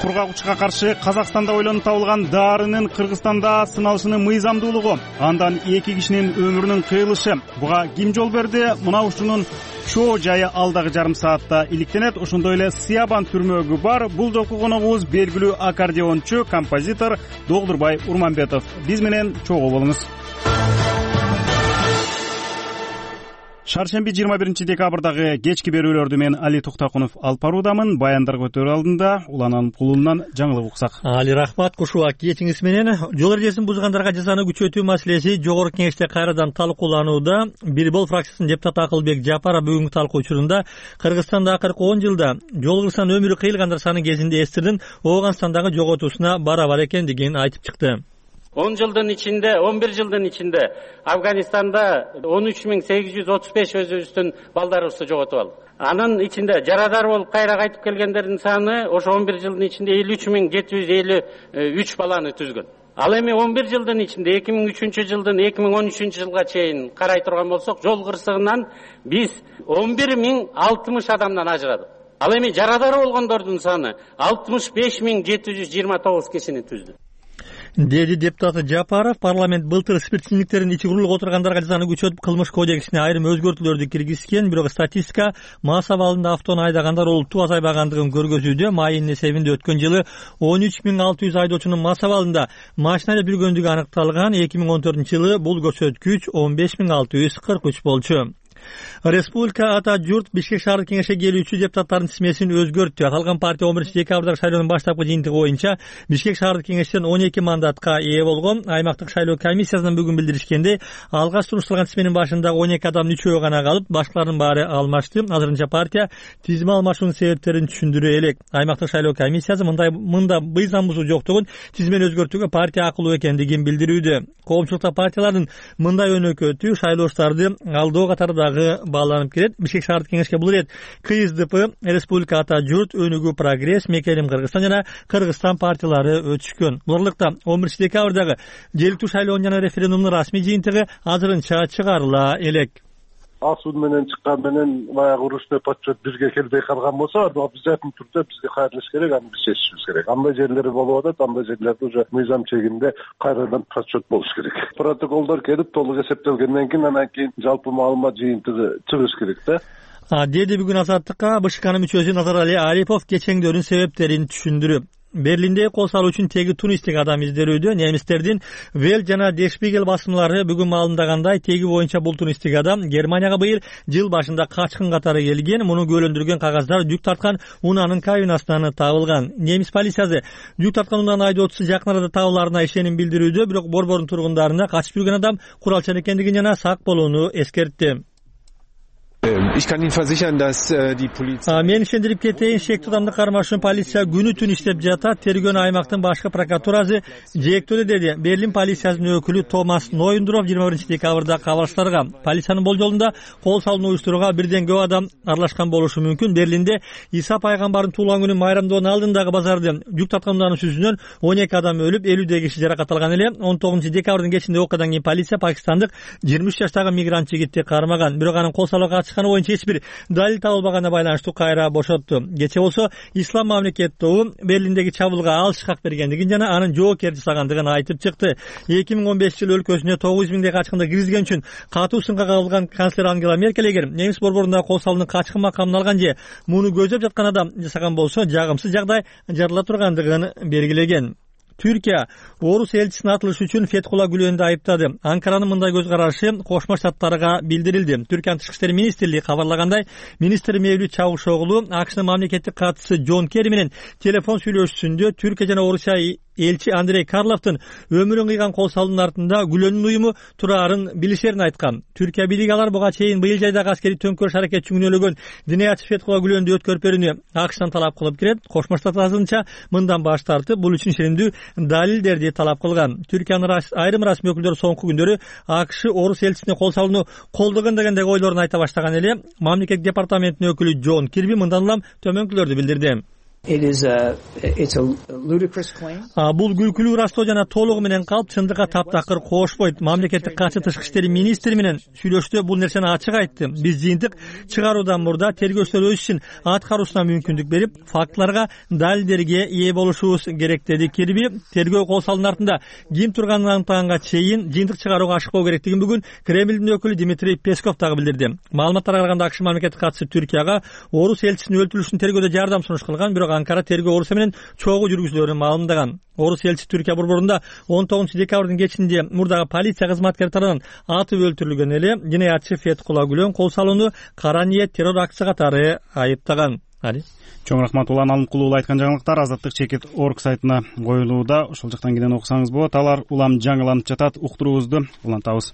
Кургагычка каршы Казакстанда ойлонуп табылган дарынын Кыргызстанда сыналышынын мыйзамдуулугу, андан эки кишинин өмүрүнүн кыйылышы. Буга ким жол берди? Мына ушунун чоо жайы алдагы жарым саатта иликтенет. Ошондой эле Сыябан түрмөгү бар. Бул жолку коногубуз белгилүү аккордеончу, композитор Долдурбай Урманбетов. Биз менен чогуу болуңуз. Шаршемби жыйырма биринчи декабрдагы кечки берүүлөрдү мен Али Токтакунов алып баруудамын. Баяндарга өтөр алдында Уланан кулунан жаңылык уксак. Али рахмат, кушуа кетиңиз менен. Жол эрежесин бузгандарга жазаны күчөтүү маселеси жогорку кеңеште кайрадан талкууланууда. Бирбол фракциясынын депутаты Акылбек Жапаров бүгүнкү талкуу учурунда Кыргызстанда акыркы он жылда жол кырсан өмүрү кыйылгандар саны кезинде эстирдин Оогунстандагы жоготуусуна барабар экендигин айтып чыкты. он жылдын ичинде, он бир жылдын ичинде Афганистанда он үч миң сегиз жүз отуз беш өзүбүздүн балдарыбызды жоготуп алдык. Анын ичинде жарадар болуп кайра кайтып келгендердин саны ошо он бир жылдын ичинде элүү үч миң жети жүз элүү үч баланы түзгөн. Ал эми он бир жылдын ичинде эки миң үчүнчү жылдын эки миң он үчүнчү жылга чейин карай турган болсок, жол кырсыгынан биз он бир миң алтымыш адамдан ажырадык. Ал эми жарадар болгондордун саны алтымыш беш миң жети жүз жыйырма тогуз кишини түздү. Деди депутат Жапаров, парламент былтыр спиртсиздиктерин ичи курулуп отургандарга жазаны күчөтүп кылмыш кодексине айрым өзгөртүүлөрдү киргизген, бирок статистика мас абалында автону айдагандар олуттуу азайбагандыгын көргөзүүдө. Майынын эсебинде өткөн жылы он үч миң алты жүз айдоочунун мас абалында машинада жүргөндүгү аныкталган. эки миң он төртүнчү жылы бул көрсөткүч он беш миң алты жүз кырк үч болчу. Республика Ата Журт Бишкек шаардык кеңешке келүүчү депутаттардын тизмесин өзгөрттү. Аталган партия он биринчи декабрдагы шайлоонун баштапкы жыйынтыгы боюнча Бишкек шаардык кеңештен он эки мандатка ээ болгон. Аймактык шайлоо комиссиясынан бүгүн билдиришкенде, алгач турушталган тизменин башындагы он эки адамдын үчөө гана калып, башкалардын баары алмашты. Азырынча партия тизме алмашуунун себептерин түшүндүрө элек. Аймактык шайлоо комиссиясы мындай мында мыйзам бузуу жоктугун, тизмени өзгөртүүгө партия акылуу экендигин билдирүүдө. Коомчулукта партиялардын мындай өнөкөтү шайлоочуларды алдоо катардагы бааланып келет. Бишкек шаардык кеңешке бул ирет КСДП, Республика Ата Журт, Өнүгүү Прогресс, Мекелим Кыргызстан жана Кыргызстан партиялары өтүшкөн. Буларлыкта он биринчи декабрдагы жергиликтүү шайлоонун жана референдумдун расмий жыйынтыгы азырынча чыгарыла элек. Асуун менен чыккан менен баягы урушта подчет бизге келбей калган болсо, обязательно түрдө бизге кайрылыш керек, аны биз чечишибиз керек. Андай жерлер болуп атат, андай жерлерде уже мыйзам чегинде кайрадан подчет болуш керек. Протоколдор келип толук эсептелгенден кийин анан кийин жалпы маалымат жыйынтыгы чыгыш керек да. Деди бүгүн Азаттыкка БШКнын мүчөсү Назарали Арипов кечеңдөрүн себептерин түшүндүрүп. Берлинде кол салуу үчүн теги тунистик адам издерүүдө. Немистердин Велт жана Der Spiegel басымдары бүгүн маалымдагандай, теги боюнча бул тунистик адам Германияга быйыл жыл башында качкын катары келген. Муну күбөлөндүргөн кагаздар жүк тарткан унаанын кабинасынан табылган. Немис полициясы жүк тарткан унаанын айдоочусу жакын арада табылаарына ишеним билдирүүдө, бирок борбордун тургундарына качып жүргөн адам куралчан экендигин жана сак болууну эскертти. Ich kann Ihnen versichern, dass die Polizei... Мен ишендирип кетейин, шектүү адамды кармаш үчүн полиция күнү түн иштеп жатат. Тергөөнү аймактын башкы прокуратурасы жээктөөдө, деди Берлин полициясынын өкүлү Томас Нойндров жыйырма биринчи декабрда кабарчыларга. Полициянын болжолунда кол салууну уюштурууга бирден көп адам аралашкан болушу мүмкүн. Берлинде Иса пайгамбардын туулган күнүн майрамдоонун алдындагы базарды жүк тарткандарынын сүзүнөн он эки адам өлүп, элүүдөй киши жаракат алган эле. он тогузунчу декабрдын кечинде окуядан кийин полиция пакистандык жыйырма үч жаштагы мигрант жигитти кармаган. Бирок анын кол салууга чыкканы боюнча эч бир далил табылбаганына байланыштуу кайра бошотту. Кечээ болсо Ислам мамлекет тобу Берлиндеги чабуулга алыш хак бергендигин жана анын жоопкер жасагандыгын айтып чыкты. эки миң он бешинчи жылы өлкөсүнө тогуз жүз миңдей качкынды киргизген үчүн катуу сынга кабылган канцлер Ангела Меркель эгер немис борборундагы кол салуунун качкын макамын алган же муну көздөп жаткан адам жасаган болсо жагымсыз жагдай жарыла тургандыгын белгилеген. Түркия орус элчисин атылыш үчүн Фетхула Гүлөндү айыптады. Анкаранын мындай көз карашы Кошмо Штаттарга билдирилди. Түркиянын тышкы иштер министрлиги кабарлагандай, министр Мевлют Чавушоглу АКШнын мамлекеттик катчысы Джон Керри менен телефон сүйлөшүүсүндө Түркия жана Орусия элчи Андрей Карловдун өмүрүн кыйган кол салуунун артында Гүлөндүн уюму турарын билишерин айткан. Түркия бийлиги алар буга чейин быйыл жайдагы аскерий төңкөрүш аракетин күнөөлөгөн диниятчы Фетхула Гүлөндү өткөрүп берүүнү АКШтан талап кылып кирет. Кошмо Штаттар азырынча мындан баш тартып, бул үчүн ишенимдүү далилдерди талап кылган. Түркиянын айрым расмий өкүлдөрү соңку күндөрү АКШ орус элчисине кол салууну колдогон дегендеги ойлорун айта баштаган эле. Мамлекет департаментинин өкүлү Джон Кирби мындан улам төмөнкүлөрдү билдирди. Бул күлкүлүү ырастоо жана толугу менен калп чындыкка таптакыр кошпойт. Мамлекеттик катчы тышкы иштери министри менен сүйлөштү бул нерсени ачык айтты. Биз жыйынтык чыгаруудан мурда тергөөчүлөр өз ишин аткаруусуна мүмкүндүк берип, фактыларга, далилдерге ээ болушубуз керек деди Кирби. Тергөө кол салуунун артында ким турганын аныктаганга чейин жыйынтык чыгарууга ашыкпоо керектигин бүгүн Кремлдин өкүлү Дмитрий Песков дагы билдирди. Маалыматтарга караганда АКШ мамлекеттик катчысы Түркияга орус элчисинин өлтүрүлүшүн тергөөдө жардам сунуш кылган, бирок Анкара тергөө Орусия менен чогуу жүргүзүлөрүн маалымдаган. Орус элчиси Түркия борборунда он тогузунчу декабрдын кечинде мурдагы полиция кызматкери тарабынан атып өлтүрүлгөн эле. Диниятчы Фетхула Гүлөн кол салууну кара ниет террор акция катары айыптаган. Чоң рахмат. Улан Алымкулуу айткан жаңылыктар азаттык чекит точка орг сайтына коюлууда. Ошол жактан кийин окусаңыз болот. Алар улам жаңыланып жатат. Уктуруубузду улантабыз.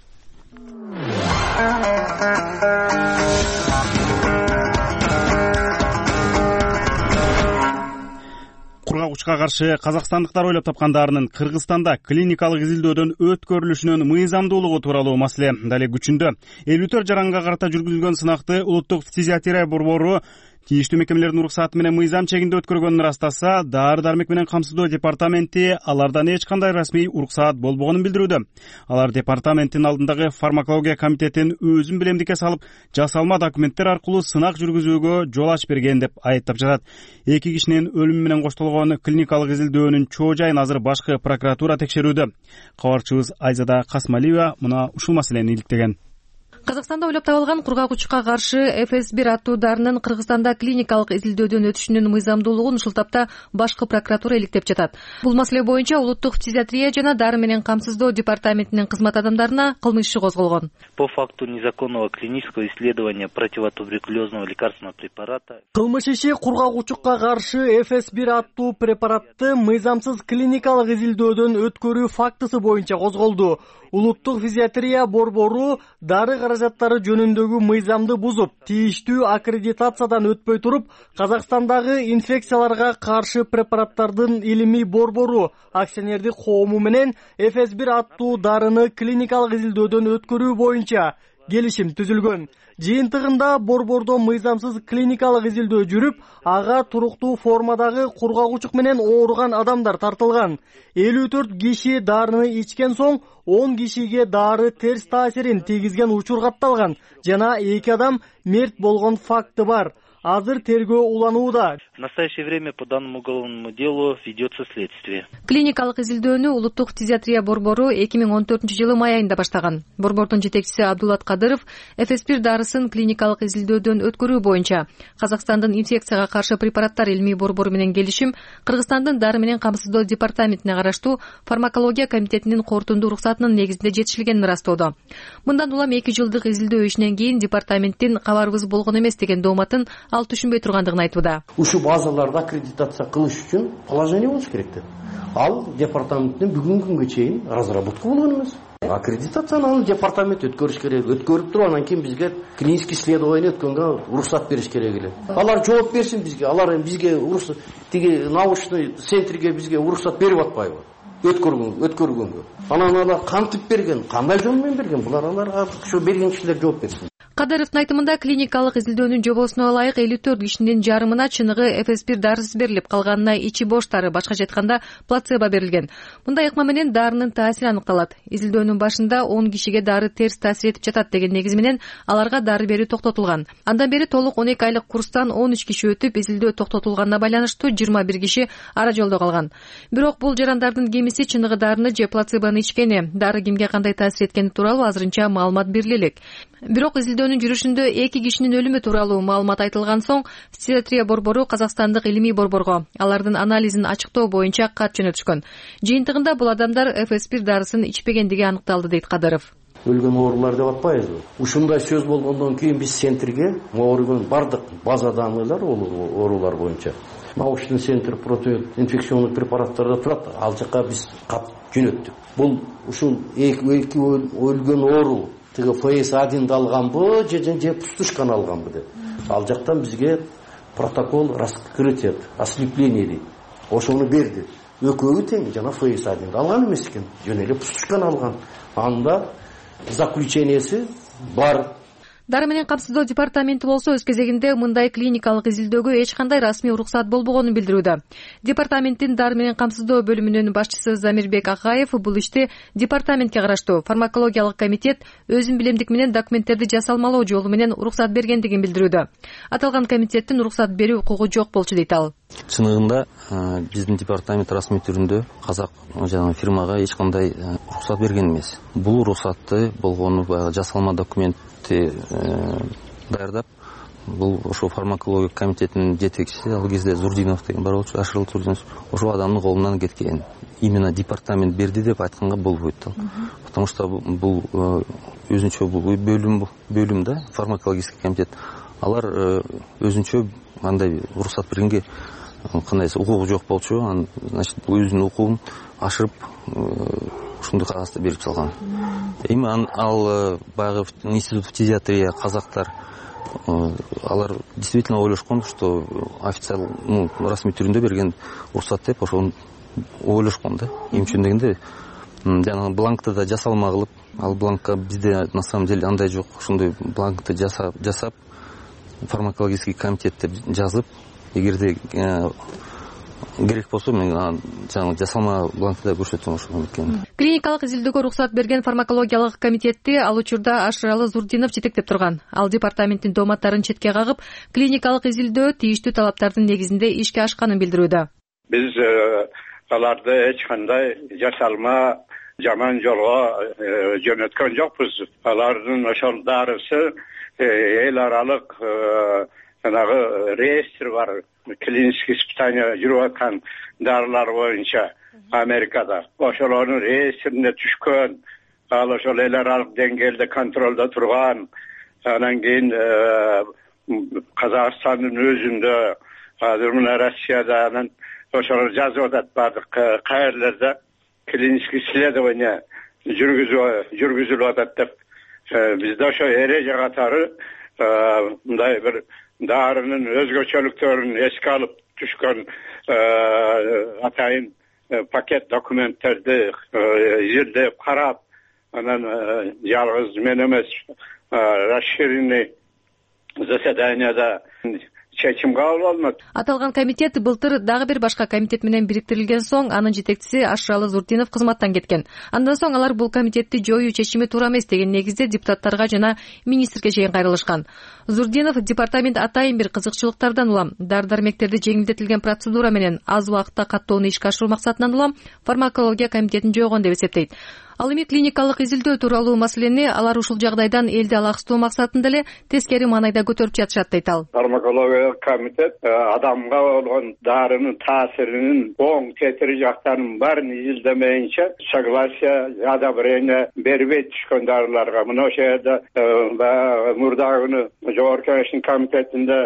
Кургак учка каршы казакстандыктар ойлоп тапкандарынын Кыргызстанда клиникалык изилдөөдөн өткөрүлүшүнүн мыйзамдуулугу тууралуу маселе дали күчүндө. элүү төрт жаранга карата жүргүзүлгөн сынакты улуттук фтизиатрия борбору тийиштүү мекемелердин уруксаты менен мыйзам чегинде өткөргөнүн ырастаса, дары дармек менен камсыздоо департаменти алардан эч кандай расмий уруксаат болбогонун билдирүүдө. Алар департаменттин алдындагы фармакология комитетин өзүн билемдикке салып, жасалма документтер аркылуу сынак жүргүзүүгө жол ачып берген деп айыптап жатат. Эки кишинин өлүмү менен коштолгон клиникалык изилдөөнүн чоо жайын азыр башкы прокуратура текшерүүдө. Кабарчыбыз Айзада Касмалиева мына ушул маселени иликтеген. Казакстанда ойлоп табылган кургак учукка каршы эф эс бир аттуу дарынын Кыргызстанда клиникалык изилдөөдөн өтүшүнүн мыйзамдуулугун ушул тапта башкы прокуратура иликтеп жатат. Бул маселе боюнча улуттук фтизиатрия жана дары менен камсыздоо департаментинин кызмат адамдарына кылмыш иши козголгон. По факту незаконного клинического исследования противотуберкулезного лекарственного препарата. Кылмыш иши кургак учукка каршы эф эс бир аттуу препаратты мыйзамсыз клиникалык изилдөөдөн өткөрүү фактысы боюнча козголду. Улуттук фтизиатрия борбору дары каражаттары жөнүндөгү мыйзамды бузуп, тийиштүү аккредитациядан өтпөй туруп, Казакстандагы инфекцияларга каршы препараттардын илимий борбору акционердик коому менен эф эс бир аттуу дарыны клиникалык изилдөөдөн өткөрүү боюнча келишим түзүлгөн. Жыйынтыгында борбордо мыйзамсыз клиникалык изилдөө жүрүп, ага туруктуу формадагы кургак учук менен ооруган адамдар тартылган. элүү төрт киши дарыны ичкен соң он кишиге дары терс таасирин тийгизген учур катталган жана эки адам мерт болгон факты бар. Азыр тергөө уланууда. В настоящее время по данному уголовному делу ведется следствие. Клиникалык изилдөөнү улуттук фтизиатрия борбору эки миң он төртүнчү жылы май айында баштаган. Борбордун жетекчиси Абдулат Кадыров эф эс бир дарысын клиникалык изилдөөдөн өткөрүү боюнча Казакстандын инфекцияга каршы препараттар илимий борбору менен келишим Кыргызстандын дары менен камсыздоо департаментине караштуу фармакология комитетинин корутундуу уруксатынын негизинде жетишилгенин ырастоодо. Мындан улам эки жылдык изилдөө ишинен кийин департаменттин кабарыбыз болгон эмес деген дооматын ал түшүнбөй тургандыгын айтууда. Ушул базаларда аккредитация кылыш үчүн положение болуш керек деп. Ал департаменттен бүгүнкү күнгө чейин разработка болгон эмес. Аккредитацияны ал департамент өткөрүш керек. Өткөрүп туруп анан кийин бизге клинический исследование өткөнгө уруксат бериш керек эле. Алар жооп берсин бизге. Алар эми бизге уруксат тиги научный центрге бизге уруксат берип атпайбы? Өткөргөнгө, өткөргөнгө. Анан алар кантип берген, кандай жол менен берген? Булар аларга ошо берген кишилер жооп берсин. Кадыровдун айтымында клиникалык изилдөөнүн жобосуна ылайык элүү төрт кишинин жарымына чыныгы эф эс бир дарысы берилип, калганына ичи боштары, башкача айтканда плацебо берилген. Мындай ыкма менен дарынын таасири аныкталат. Изилдөөнүн башында он кишиге дары терс таасир этип жатат деген негиз менен аларга дары берүү токтотулган. Андан бери толук он эки айлык курстан он үч киши өтүп, изилдөө токтотулганына байланыштуу жыйырма бир киши ара жолдо калган. Бирок бул жарандардын кемиси чыныгы дарыны же плацебону ичкени, дары кимге кандай таасир эткени тууралуу азырынча маалымат бериле элек. Бирок изилдөөнүн жүрүшүндө эки кишинин өлүмү тууралуу маалымат айтылган соң фтизиатрия борбору Казакстандык илимий борборго алардын анализин ачыктоо боюнча кат жөнөтүшкөн. Жыйынтыгында бул адамдар эф эс бир дарысын ичпегендиги аныкталды, дейт Кадыров. Өлгөн оорулар деп атпайбызбы? Ушундай сөз болгондон кийин биз центрге ооругун бардык база данныйлар оорулар боюнча научный центр противоинфекционный препараттарда турат. Ал жака биз кат жөнөттүк. Бул ушул эки өлгөн оору тиги эф эс один алганбы же же пустушканы алганбы деп. Ал жактан бизге протокол раскрытия, ослепление дейт. Ошону берди. Экөөбү тең жана эф эс один алган эмес экен, жөн эле пустушканы алган. Анда заключениеси бар. Дары менен камсыздоо департаменти болсо өз кезегинде мындай клиникалык изилдөөгө эч кандай расмий уруксат болбогонун билдирүүдө. Департаменттин дары менен камсыздоо бөлүмүнүн башчысы Замирбек Акаев бул ишти департаментке караштуу фармакологиялык комитет өзүн билемдик менен документтерди жасалмалоо жолу менен уруксат бергендигин билдирүүдө. Аталган комитеттин уруксат берүү укугу жок болчу, дейт ал. Чыныгында биздин департамент расмий түрүндө казак жана фирмага эч кандай уруксат берген эмес. Бул уруксатты болгону баягы жасалма документ даярдап, бул ошо фармакология комитетинин жетекчиси ал кезде Зурдинов деген бар болчу, Ашырыл Зурдинов, ошол адамдын колунан кеткен. Именно департамент берди деп айтканга болбойт да. Потому что бул өзүнчө бөлүм бөлүм да, фармакологический комитет. Алар өзүнчө андай уруксат бергенге кандай укугу жок болчу. Значит, өзүнүн укугун ашырып ушундай кагазды берип салган. Эми ал баягы институт фтизиатрия казактар алар действительно ойлошкон, что официал, ну, расмий түрүндө берген уруксат деп ошону ойлошкон да. Эмчүн дегенде жана бланкты да жасалма кылып, ал бланкка бизде на самом деле андай жок. Ошондой бланкты жасап жасап фармакологический комитет деп жазып, эгерде керек болсо мен жаңы жасалма бланкты да көрсөтөм ошону экен. Клиникалык изилдөөгө уруксат берген фармакологиялык комитетти ал учурда Ашыралы Зурдинов жетектеп турган. Ал департаменттин дооматтарын четке кагып, клиникалык изилдөө тийиштүү талаптардын негизинде ишке ашканын билдирүүдө. Биз аларды эч кандай жасалма жаман жолго жөнөткөн жокпуз. Алардын ошол дарысы эл аралык жанагы реестр бар, клиникалык испытание жүрүп аткан дарылар боюнча Америкада. Ошолордун реестрине түшкөн, ал ошол эл аралык деңгээлде контролдо турган. Анан кийин Казакстандын өзүндө, азыр мына Россияда анан ошолор жазып атат бардык каерлерде клиникалык исследование жүргүзүлүп атат деп. Бизде ошо эреже катары мындай бир дарынын өзгөчөлүктөрүн эске алып түшкөн атайын пакет документтерди изилдеп карап, анан жалгыз мен эмес, расширенный заседанияда чечим кабыл алынат. Аталган комитет былтыр дагы бир башка комитет менен бириктирилген соң анын жетекчиси Ашыралы Зурдинов кызматтан кеткен. Андан соң алар бул комитетти жоюу чечими туура эмес деген негизде депутаттарга жана министрге чейин кайрылышкан. Зурдинов департамент атайын бир кызыкчылыктардан улам дары-дармектерди жеңилдетилген процедура менен аз убакытта каттоону ишке ашыруу максатынан улам фармакология комитетин жойгон деп эсептейт. Ал эми клиникалык изилдөө тууралуу маселени алар ушул жагдайдан элди алаксытуу максатында эле тескери маанайда көтөрүп жатышат, дейт ал. Фармакология комитет адамга болгон дарынын таасиринин оң тетири жактарынын баарын изилдемейинче согласие, одобрение бербейт түшкөн дарыларга. Мына ошол жерде мурдагы жогорку кеңештин комитетинде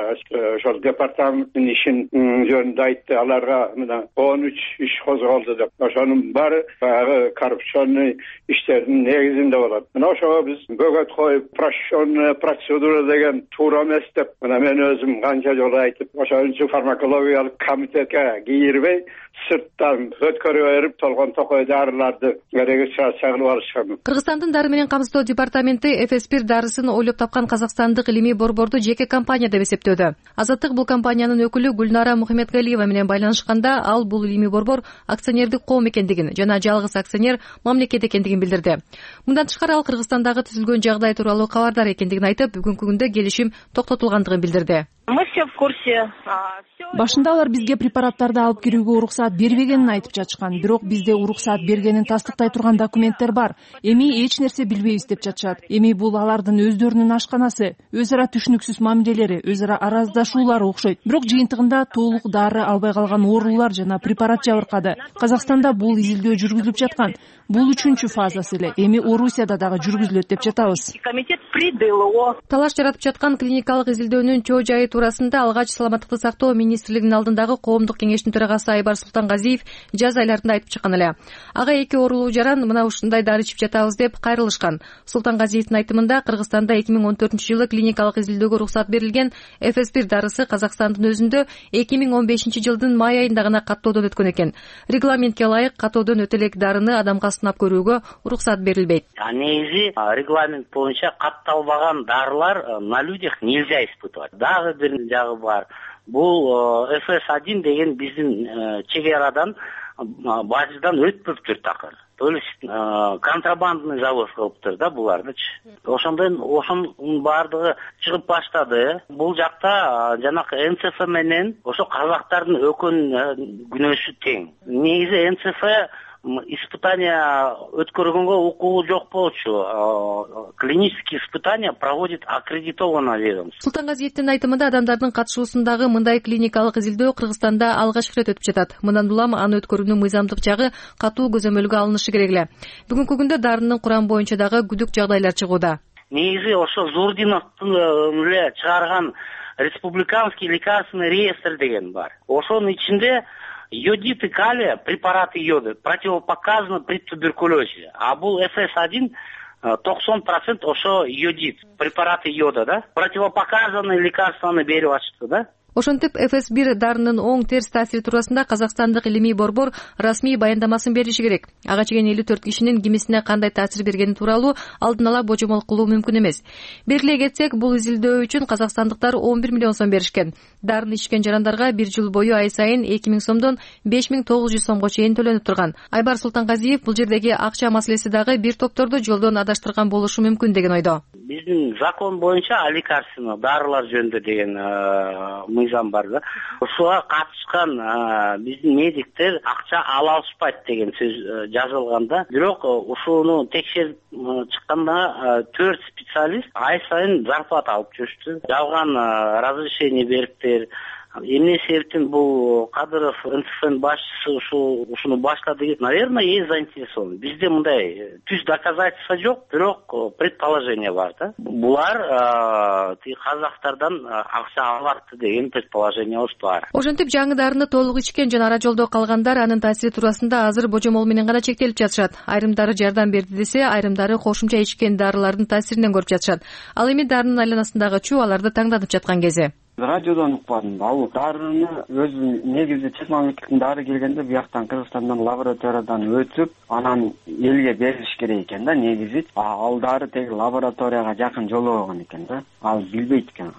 ошол департаменттин ишин жөнүндө айтты. Аларга мына он үч иш козголду деп. Ошонун баары баягы коррупционный иштердин негизинде болот. Мына ошого биз бөгөт коюп, упрощенная процедура деген туура эмес деп мына мен өзүм канча жолу айтып, ошон үчүн фармакологиялык комитетке кийирбей, сырттан өткөрүп берип, толгон токой дарыларды регистрация кылып алышкан. Кыргызстандын дары менен камсыздоо департаменти Эфеспир дарысын ойлоп тапкан казакстандык илимий борборду жеке компания деп эсептөөдө. Азаттык бул компаниянын өкүлү Гүлнара Мухаммедгалиева менен байланышканда ал бул илимий борбор акционердик коом экендигин жана жалгыз акционер мамлекет экендигин билдирди. Мындан тышкары ал Кыргызстандагы түзүлгөн жагдай тууралуу кабардар экендигин айтып, бүгүнкү күндө келишим токтотулгандыгын билдирди. Мы все в курсе. Башында алар бизге препараттарды алып кирүүгө уруксаат бербегенин айтып жатышкан, бирок бизде уруксаат бергенин тастыктай турган документтер бар. Эми эч нерсе билбейбиз деп жатышат. Эми бул алардын өздөрүнүн ашканасы, өз ара түшүнүксүз мамилелери, өз ара араздашуулары окшойт. Бирок жыйынтыгында толук дары албай калган оорулар жана препарат жабыркады. Казакстанда бул изилдөө жүргүзүлүп жаткан. Бул үчүнчү фазасы эле. Эми Орусияда дагы жүргүзүлөт деп жатабыз. Комитет придыл его. Талаш жаратып жаткан клиникалык изилдөөнүн чоо жайы туурасында алгач саламаттыкты сактоо министрлигинин алдындагы коомдук кеңештин төрагасы Айбар Султангазиев жаз айларында айтып чыккан эле. Ага эки оорулуу жаран мына ушундай дары ичип жатабыз деп кайрылышкан. Султангазиевдин айтымында Кыргызстанда эки миң он төртүнчү жылы клиникалык изилдөөгө уруксат берилген Эфеспир дарысы Казакстандын өзүндө эки миң он бешинчи жылдын май айында гана каттоодон өткөн экен. Регламентке ылайык каттоодон өтө элек дарыны адамга сынап көрүүгө уруксат берилбейт. Негизи регламент боюнча катталбаган дарылар на людях нельзя испытывать. Дагы бир жагы бар. Бул эф эс один деген биздин чек арадан бажыдан өтпөптүр такыр. То есть контрабандный завоз кылыптыр да булардычы. Ошондон ошонун баардыгы чыгып баштады. Бул жакта жанакы эн цэ эф менен ошо казактардын өкөн күнөөсү тең. Негизи эн цэ эф испытания өткөргөнгө укугу жок болчу. Клинические испытания проводит аккредитованное ведомство. Султангазиевдин айтымында адамдардын катышуусундагы мындай клиникалык изилдөө Кыргызстанда алгачкы ирет өтүп жатат. Мындан улам аны өткөрүүнүн мыйзамдык жагы катуу көзөмөлгө алынышы керек эле. Бүгүнкү күндө дарынын курам боюнча дагы күдүк жагдайлар чыгууда. Негизи ошо Зурдиновдун эле чыгарган республиканский лекарственный реестр деген бар. Ошонун ичинде йодиты калия, препараты йода противопоказаны при туберкулезе. А бул эф эс один токсон процент ошо йодит, препараты йода, да? Противопоказаны лекарстваны берип атышты, да? Ошентип эф эс бир дарынын оң терс таасири туурасында Казакстандык илимий борбор расмий баяндамасын бериши керек. Ага чейин элүү төрт кишинин кимисине кандай таасир бергени тууралуу алдын ала божомол кылуу мүмкүн эмес. Белгилей кетсек, бул изилдөө үчүн казакстандыктар он бир миллион сом беришкен. Дарыны ичкен жарандарга бир жыл бою ай сайын эки миң сомдон беш миң тогуз жүз сомго чейин төлөнүп турган. Айбар Султангазиев бул жердеги акча маселеси дагы бир топторду жолдон адаштырган болушу мүмкүн деген ойдо. Биздин закон боюнча лекарственный дарылар жөнүндө деген мыйзам бар да. Ушуга катышкан биздин медиктер акча ала алышпайт деген сөз жазылганда, бирок ушуну текшерип чыкканда төрт специалист ай сайын зарплата алып жүрүштү. Жалган разрешение бериптир. Эмне себептен бул Кадыров эн цэ эф башчысы ушу ушуну баштады? Наверное, есть заинтересован. Бизде мындай түз доказательства жок, бирок предположение бар да. Булар казактардан акча алат деген предположениябыз бар. Ошентип жаңы дарыны толук ичкен жана ара жолдо калгандар анын таасири туурасында азыр божомол менен гана чектелип жатышат. Айрымдары жардам берди десе, айрымдары кошумча ичкен дарылардын таасиринен көрүп жатышат. Ал эми дарынын айланасындагы чуу аларды таңданып жаткан кези. Радиодон укпадым. Ал дарыны өзү негизи чет мамлекеттин дары келгенде бияктан Кыргызстандан лабораториядан өтүп, анан элге бериш керек экен да негизи. Ал дары теги лабораторияга жакын жолобогон экен да. Ал билбейт экен.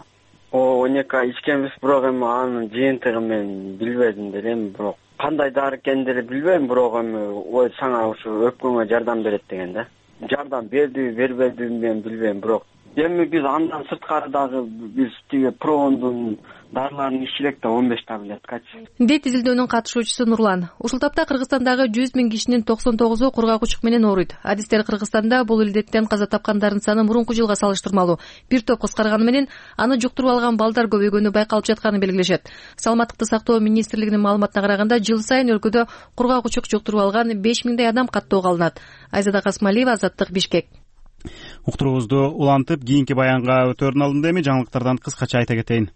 О, он эки ай ичкенбиз, бирок эми анын жыйынтыгы мен билбедим делем, бирок кандай дары экендигин билбейм, бирок эми ой сага ушу өпкөнгө жардам берет деген да. Жардам бердиби, бербедиби мен билбейм, бирок эми биз андан сырткары дагы биз тиги Промондун дарыларын ичсек да он беш таблеткачы. Дейт изилдөөнүн катышуучусу Нурлан. Ушул тапта Кыргызстандагы жүз миң кишинин токсон тогузу кургак учук менен ооруйт. Адистер Кыргызстанда бул илдеттен каза тапкандардын саны мурунку жылга салыштырмалуу бир топ кыскарганы менен аны жуктуруп алган балдар көбөйгөнү байкалып жатканын белгилешет. Саламаттыкты сактоо министрлигинин маалыматына караганда, жыл сайын өлкөдө кургак учук жуктуруп алган беш миңдей адам каттоого алынат. Айзада Касмалиева, Азаттык, Бишкек. Уктуруубузду улантып, кийинки баянга өтөрүн алдым. Эми жаңылыктардан кыскача айта кетейин.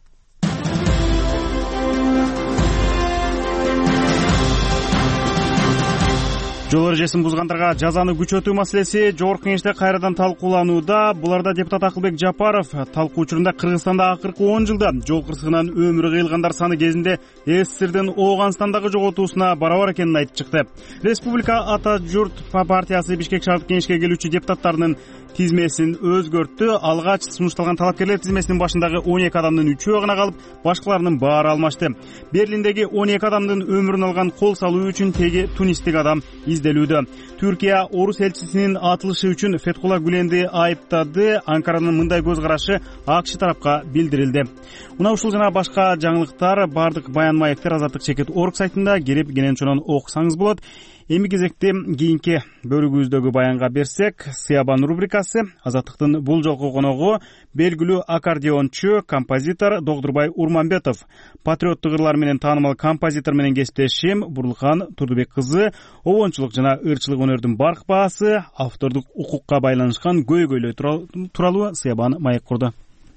жол эрежесин бузгандарга жазаны күчөтүү маселеси жогорку кеңеште кайрадан талкууланууда. Буларда депутат Акылбек Жапаров талкуу учурунда Кыргызстанда акыркы он жылда жол кырсыгынан өмүрү кыйылгандар саны кезинде СССРдин Ооганстандагы жоготуусуна барабар экенин айтып чыкты. Республика Ата журт партиясы Бишкек шаардык кеңешке келүүчү депутаттарынын тизмесин өзгөрттү. Алгач сунушталган талапкерлер тизмесинин башындагы он эки адамдын үчөө гана калып, башкаларынын баары алмашты. Берлиндеги он эки адамдын өмүрүн алган кол салуу үчүн теги тунистик адам изделүүдө. Түркия орус элчисинин атылышы үчүн Феткула Гүленди айыптады. Анкаранын мындай көз карашы АКШ тарапка билдирилди. Мына ушул жана башка жаңылыктар бардык баян маектер Азаттык чекит орг сайтында кирип кенен окусаңыз болот. Эми кезекте кийинки бөлүгүбүздөгү баянга берсек, Сыябан рубрикасы. Азаттыктын бул жолку коногу белгилүү аккордеончу, композитор Догдурбай Урманбетов. Патриоттук ырлар менен таанымал композитор менен кесиптешим Бурлукан Турдубек кызы обончулук жана ырчылык өнөрдүн барк баасы, автордук укукка байланышкан көйгөйлөр тууралуу Сыябан маек курду.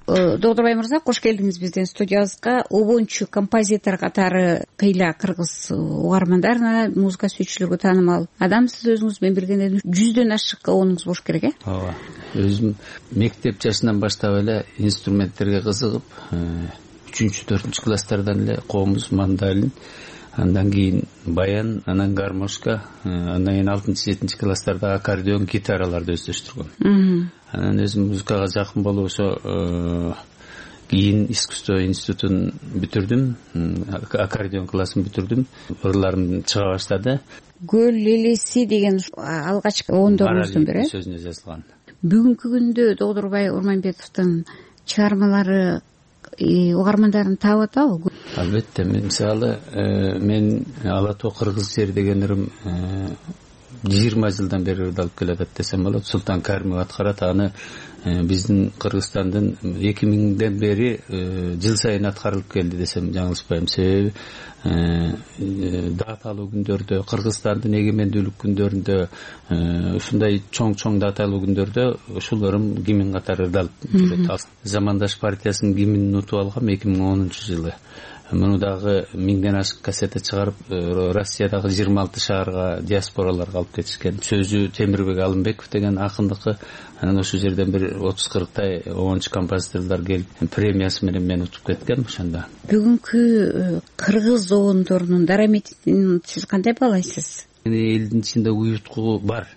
Догдурбай мырза, кош келдиңиз биздин студиябызга. Обончу композитор катары кыйла кыргыз угармандарына, музыка сүйүүчүлөргө таанымал адам. Сиз өзүңүз менен бирден жүздөн ашык обонуңуз болуш керек, э? Ооба. Өзүм мектеп жашынан баштап эле инструменттерге кызыгып, үчүнчү төртүнчү класстардан эле комуз, мандолин, андан кийин баян, анан гармошка, андан кийин алтынчы жетинчи класстарда аккордеон, гитараларды өздөштүргөм. Анан өзүм музыкага жакын болуп ошо кийин искусство институтун бүтүрдүм, аккордеон классын бүтүрдүм. Ырларым чыга баштады. Көл элеси деген алгачкы ондорубуздун бири сөзүнө жазылган. Бүгүнкү күндө Догдурбай Урманбетовдун чыгармалары угармандарын таап атабы? Албетте. Мисалы, мен Ала тоо кыргыз жери деген ырым жыйырма жылдан бери ырдалып келатат десем болот. Султан Каримов аткарат аны. Биздин Кыргызстандын эки миңден бери жыл сайын аткарылып келди десем жаңылышпайм. Себеби даталуу күндөрдө, Кыргызстандын эгемендүүлүк күндөрүндө, ушундай чоң-чоң даталуу күндөрдө ушул ырым гимн катары ырдалып жүрөт. Замандаш партиясынын гимнин утуп алгам эки миң онунчу жылы. Муну дагы миңден ашык кассета чыгарып, Россиядагы жыйырма алты шаарга, диаспораларга алып кетишкен. Сөзү Темирбек Алымбеков деген акындыкы. Анан ошол жерден бир отуз кырктай обончу композиторлор келип, премиясы менен мени утуп кеткен ошондо. Бүгүнкү кыргыз обондорунун дарамедин сиз кандай баалайсыз? Элдин ичинде уюткуу бар.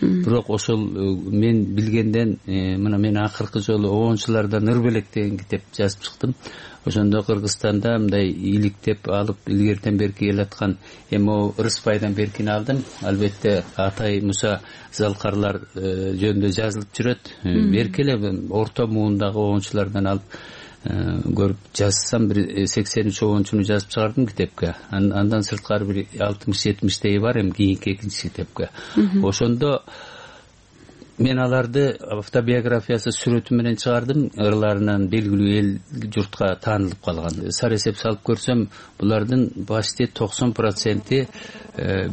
Бирок ошол мен билгенден, мына мен акыркы жолу обончулардан ыр белек деген китеп жазып чыктым. Ошондо Кыргызстанда мындай иликтеп алып илгертен берки келаткан эми Рыспайдан беркини алдым. Албетте Атай Муса Залкарлар жөнүндө жазылып жүрөт. Берки эле орто муундагы обончулардан алып көрүп жазсам бир сексен үч обончуну жазып чыгардым китепке. Андан сырткары бир алтымыш жетимиштей бар эми кийинки экинчи китепке. Ошондо мен аларды автобиографиясы сүрөтү менен чыгардым. Ырларынан белгилүү эл журтка таанылып калган. Сар эсеп салып көрсөм, булардын почти токсон проценти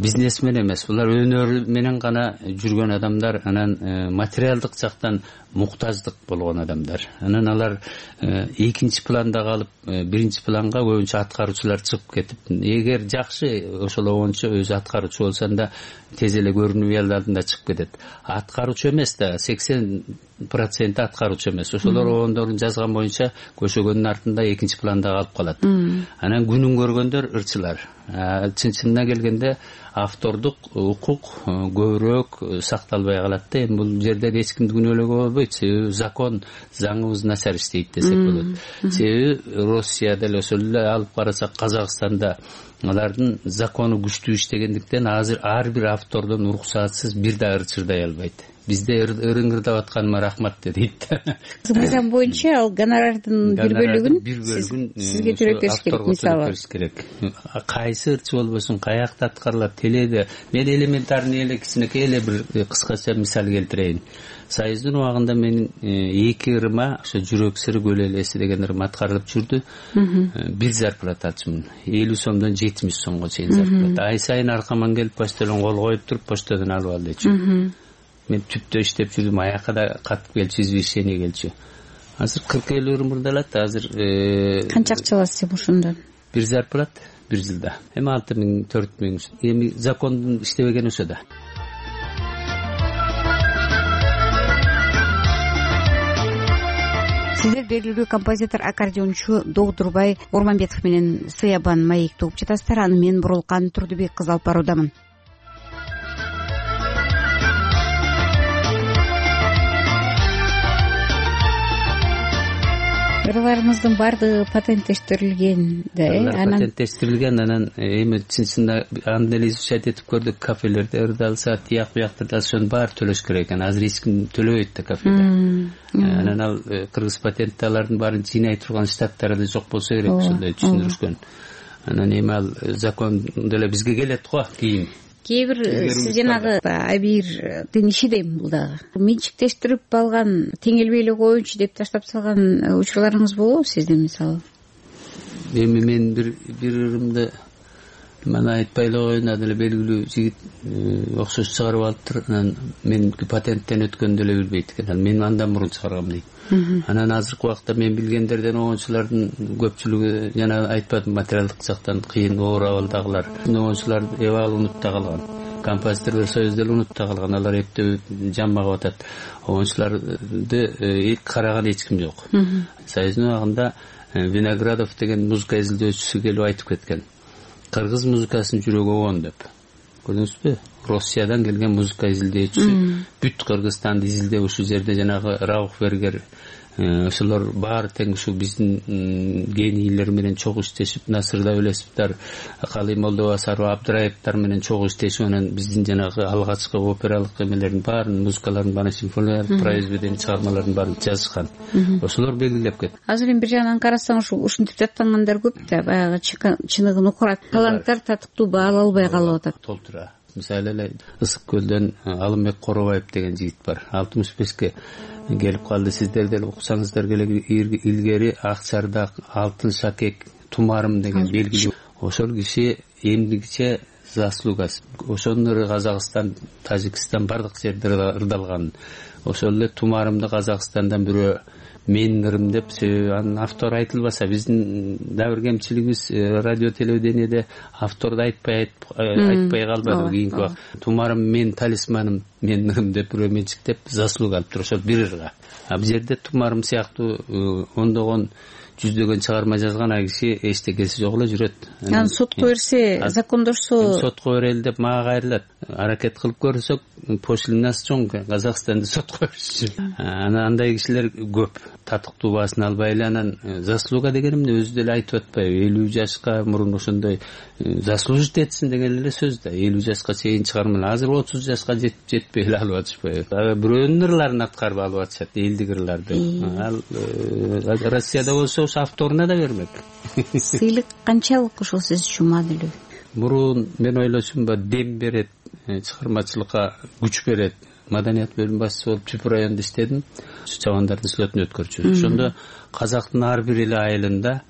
бизнесмен эмес. Булар өнөр менен гана жүргөн адамдар, анан материалдык жактан муктаждык болгон адамдар. Анан алар экинчи планда калып, биринчи планга көбүнчө аткаруучулар чыгып кетип, эгер жакшы ошол обончу өзү аткаруучу болсо анда тез эле көрүнүп эл алдында чыгып кетет. Аткаруучу эмес да, сексен проценти аткаруучу эмес. Ошолор обондорун жазган боюнча көшөгөндүн артында экинчи планда калып калат. Анан күнүн көргөндөр ырчылар. Чын-чынына келгенде автордук укук көбүрөөк сакталбай калат да. Эми бул жерде эч кимди күнөөлөөгө болбойт. Себеби закон, заңыбыз начар иштейт десек болот. Себеби Россияда эле ошол эле алып карасак, Казакстанда алардын закону күчтүү иштегендиктен азыр ар бир автордон уруксатсыз бир да ыр чырдай албайт. Бизде ырыңырдап атканыма рахмат дейт. Мыйзам боюнча ал гонорардын бир бөлүгүн сизге төлөп бериш керек, мисалы. Кайсы ырчы болбосун, каякта аткарылат, теледе. Мен элементарный эле кичинекей эле бир кыскача мисал келтирейин. Союздун убагында менин эки ырыма, ошо жүрөк сыры, көл элеси деген ырым аткарылып жүрдү. Бир зарплата алчумун. элүү сомдон жетимиш сомго чейин зарплата. Ай сайын аркаман келип почтодон кол коюп туруп, почтодон алып ал дейчү. Мен түптө иштеп жүрдүм, аяка да катып келчү, извещение келчү. Азыр кырк элүү ырым ырдалат. Азыр канча акча аласыз ошондон? Бир зарплат бир жылда эми алты миң төрт миң эми закондун иштебегени ошо да. Сиздер белгилүү композитор, аккордеончу Догдурбай Орманбетов менен Сыябан маекти угуп жатасыздар. Аны мен Бурулкан Турдубек кызы алып баруудамын. Ырларыңыздын баардыгы патенттештирилген да, э? Анан патенттештирилген, анан эми чын-чынында аны эле изучать этип көрдүк. Кафелерде ырдалса, тияк буяктырда ошонун баары төлөш керек экен. Азыр эч ким төлөбөйт да кафеде. Анан ал кыргыз патентти алардын баарын жыйнай турган штаттары да жок болсо керек, ошондой түшүндүрүшкөн. Анан эми ал закон деле бизге келет го кийин. Кээ бир сиз жанагы Абирдин иши дейм бул дагы. Менчиктештирип алган, теңелбей эле коеюнчу деп таштап салган учурларыңыз болобу сиздин мисалы? Эми мен бир бир ырымды мана айтпай эле коеюн, деле белгилүү жигит окшош чыгарып алыптыр. Анан меники патенттен өткөндү эле билбейт экен. Мен андан мурун чыгаргам дейт. Анан азыркы убакта мен билгендерден огончулардын көпчүлүгү жана айтпадым, материалдык жактан кыйын оор абалдагылар. Огончулар эбал унутта калган. Композиторлор союзу деле унутта калган. Алар эптеп жамбагып атат. Огончуларды караган эч ким жок. Союздун убагында Виноградов деген музыка изилдөөчүсү келип айтып кеткен. Кыргыз музыкасынын жүрөгү огон деп. Көрдүңүзбү? Россиядан келген музыка изилдөөчүсү бүт Кыргызстанды изилдеп ушул жерде жанагы Раух Бергер ошолор баары тең ушу биздин генийлер менен чогуу иштешип, Насыр Давлетовдор, Калый Молдобасаров, Абдыраевдер менен чогуу иштешип, анан биздин жанагы алгачкы опералык эмелердин баарын, музыкалардын баарын, симфониялык произведение чыгармалардын баарын жазышкан. Ошолор белгилеп кетти. Азыр эми бир жагынан карасаң ушу ушинтип жаттангандар көп да, баягы чыныгын укурат таланттар татыктуу баала албай калып атат. Толтура. Мисалы эле Ысык көлдөн Алымбек Коробаев деген жигит бар. алтымыш бешке келип калды. Сиздер деле уксаңыздар керек, илгери Акчардак, Алтын шакек, Тумарым деген белгилүү. Ошол киши эмдигиче заслугасы. Ошонун ыры Казакстан, Тажикстан бардык жерде ырдалган. Ошол эле Тумарымды Казакстандан бирөө менин ырым деп, анын автору айтылбаса, биздин да бир кемчилигибиз радио телевидениеде авторду айтпай айтпай калбады кийинки убакта. Тумарым мен талисманым, менин ырым деп бирөө менчиктеп заслуга алыптыр ошол бир ырга. А бул жерде Тумарым сыяктуу ондогон жүздөгөн чыгарма жазган ай киши эчтекеси жок эле жүрөт. Анан сотко берсе, закондошсо, сотко берели деп мага кайрылат. Аракет кылып көрсөк, пошлинасы чоң, Казакстанды сотко бериши. Анан андай кишилер көп. Татыктуу баасын албай эле, анан заслуга дегеним өзү деле айтып атпайбы, элүү жашка мурун ошондой заслужить этсин деген эле сөз да. элүү жашка чейин чыгармалар. Азыр отуз жашка жетпей эле алып атышпайбы. Бирөөнүн ырларын аткарып алып атышат, элдик ырларды. Ал Россияда болсо ошо авторуна да бермек. Сыйлык канчалык ошол сиз үчүн маанилүү? Мурун мен ойлошумба дем берет, чыгармачылыкка күч берет. Маданият бөлүм башчысы болуп Чүп районунда иштедим. Чабандардын слетин өткөрчү. Ошондо казактын ар бир эле айылында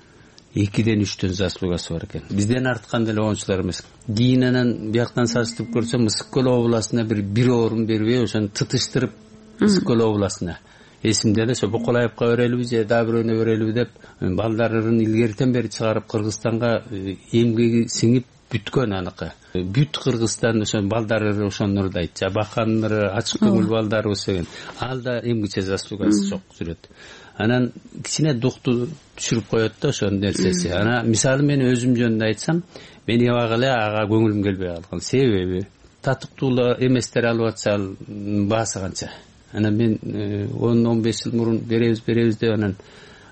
экиден үчтөн заслугасы бар экен. Бизден арткан деле огончулар эмес. Кийин анан бияктан саштырып көрсөм, Ысык көл областына бир бир орун бербей, ошону тытыштырып Ысык көл областына. Эсимде эле ошо Боколаевка берелиби же дагы бирөөнө берелиби деп балдарын илгертен бери чыгарып Кыргызстанга эмгеги сиңип бүткөн аныкы. Бүт Кыргызстан ошо балдары ошону ырдайт. Баканнары, ачык көңүл балдары деген. Ал да эмгиче заслугасы жок жүрөт. Анан кичине дукту түшүрүп коет да ошонун нерсеси. Анан мисалы мен өзүм жөнүндө айтсам, мен эбак эле ага көңүлүм келбей калган. Себеби татыктуу эместер алып атса баасы канча. Анан мен он он беш жыл мурун беребиз беребиз деп анан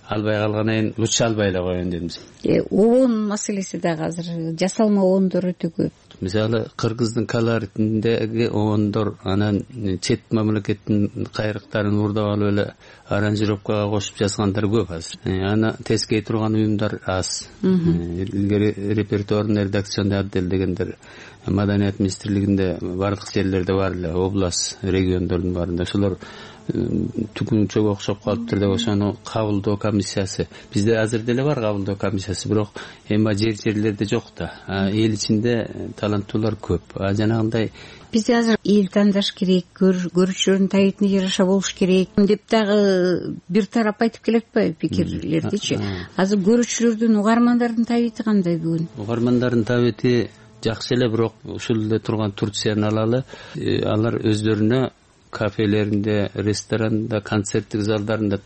албай калгандан лучше албай эле коеюн дедим. Э, обон маселеси дагы азыр жасалма обондор өтө көп. Мисалы Кыргыздын колоритиндеги обондор анан чет мамлекеттин кайрыктарын урдап алып эле аранжировкага кошуп жазгандар көп азыр. Аны тескей турган уюмдар аз. Илгери репертуардын редакционный отдел дегендер Маданият министрлигинде бардык жерлерде бар эле, область, региондордун баарында. Ошолор түгүнчөгө окшоп калыптыр деп ошону кабылдоо комиссиясы бизде азыр деле бар, кабылдоо комиссиясы, бирок эми жер жерлерде жок да. Эл ичинде таланттуулар көп. Жанагындай бизде азыр эл тандаш керек, көрүүчүлөрдүн табитине жараша болуш керек деп дагы бир тарап айтып келе атпайбы пикирлердичи? Азыр көрүүчүлөрдүн, угармандардын табити кандай бүгүн? Угармандардын табити жакшы эле, бирок ушул эле турган Турцияны алалы, алар өздөрүнө кафелеринде, ресторанда, концерттик залдарында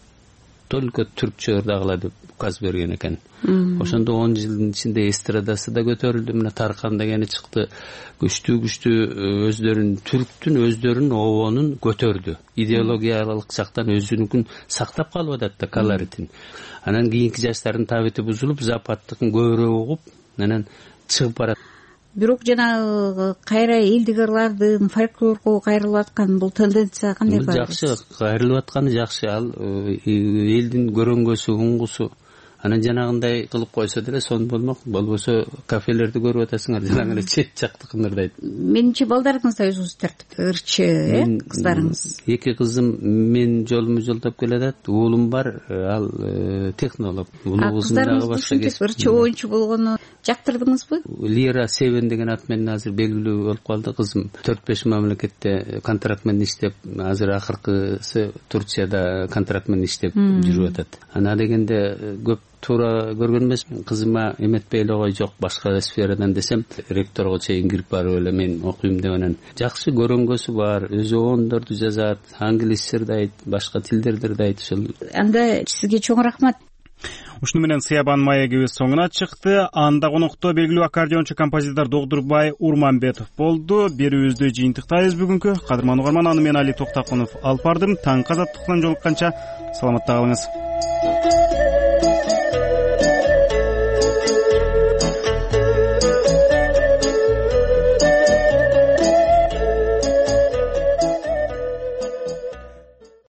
только түркчө ырдагыла деп указ берген экен. Ошондо он жылдын ичинде эстрадасы да көтөрүлдү. Мына Таркан дегени чыкты. Күчтүү күчтүү өздөрүнүн түрктүн өздөрүнүн обонун көтөрдү. Идеологиялык жактан өзүнүкүн сактап калып атат да колоритин. Анан кийинки жаштардын табити бузулуп, западтыкын көбүрөөк угуп, анан чыгып барат. Бирок жанагы кайра элдик ырлардын фольклорго кайрылып аткан бул тенденция кандай бар? Жакшы, кайрылып атканы жакшы. Ал элдин көрөнгөсү, уңгусу. Анан жанагындай кылып койсо деле сон болмок. Болбосо кафелерди көрүп атасыңар, жанагы эле чет жактыкын ырдайт. Менимче балдарыңыз да өзүңүз тартып ырчы, э, кыздарыңыз. Эки кызым мен жолуму жолдоп келатат. Уулум бар, ал технолог. Улуу кызым дагы башка ырчы оюнчу болгону жактырдыңызбы? Лира Севен деген ат менен азыр белгилүү болуп калды. Кызым төрт беш мамлекетте контракт менен иштеп, азыр акыркысы Турцияда контракт менен иштеп жүрүп атат. Ана дегенде көп туура көргөн эмесмин. Кызыма эметпей эле кой, жок башка сферадан десем, ректорго чейин кирип барып эле мен окуйм деп анан жакшы көрөнгөсү бар, өзү ондорду жазат, англисче ырдайт, башка тилдерди ырдайт. Ошол анда сизге чоң рахмат. Ушуну менен Сыябан маегибиз соңуна чыкты. Анда конокто белгилүү аккордеончу композитор Догдурбай Урманбетов болду. Берүүбүздү жыйынтыктайбыз бүгүнкү. Кадырман угарман, аны мен Али Токтакунов алып бардым. Таң казаттыктан жолукканча саламатта калыңыз.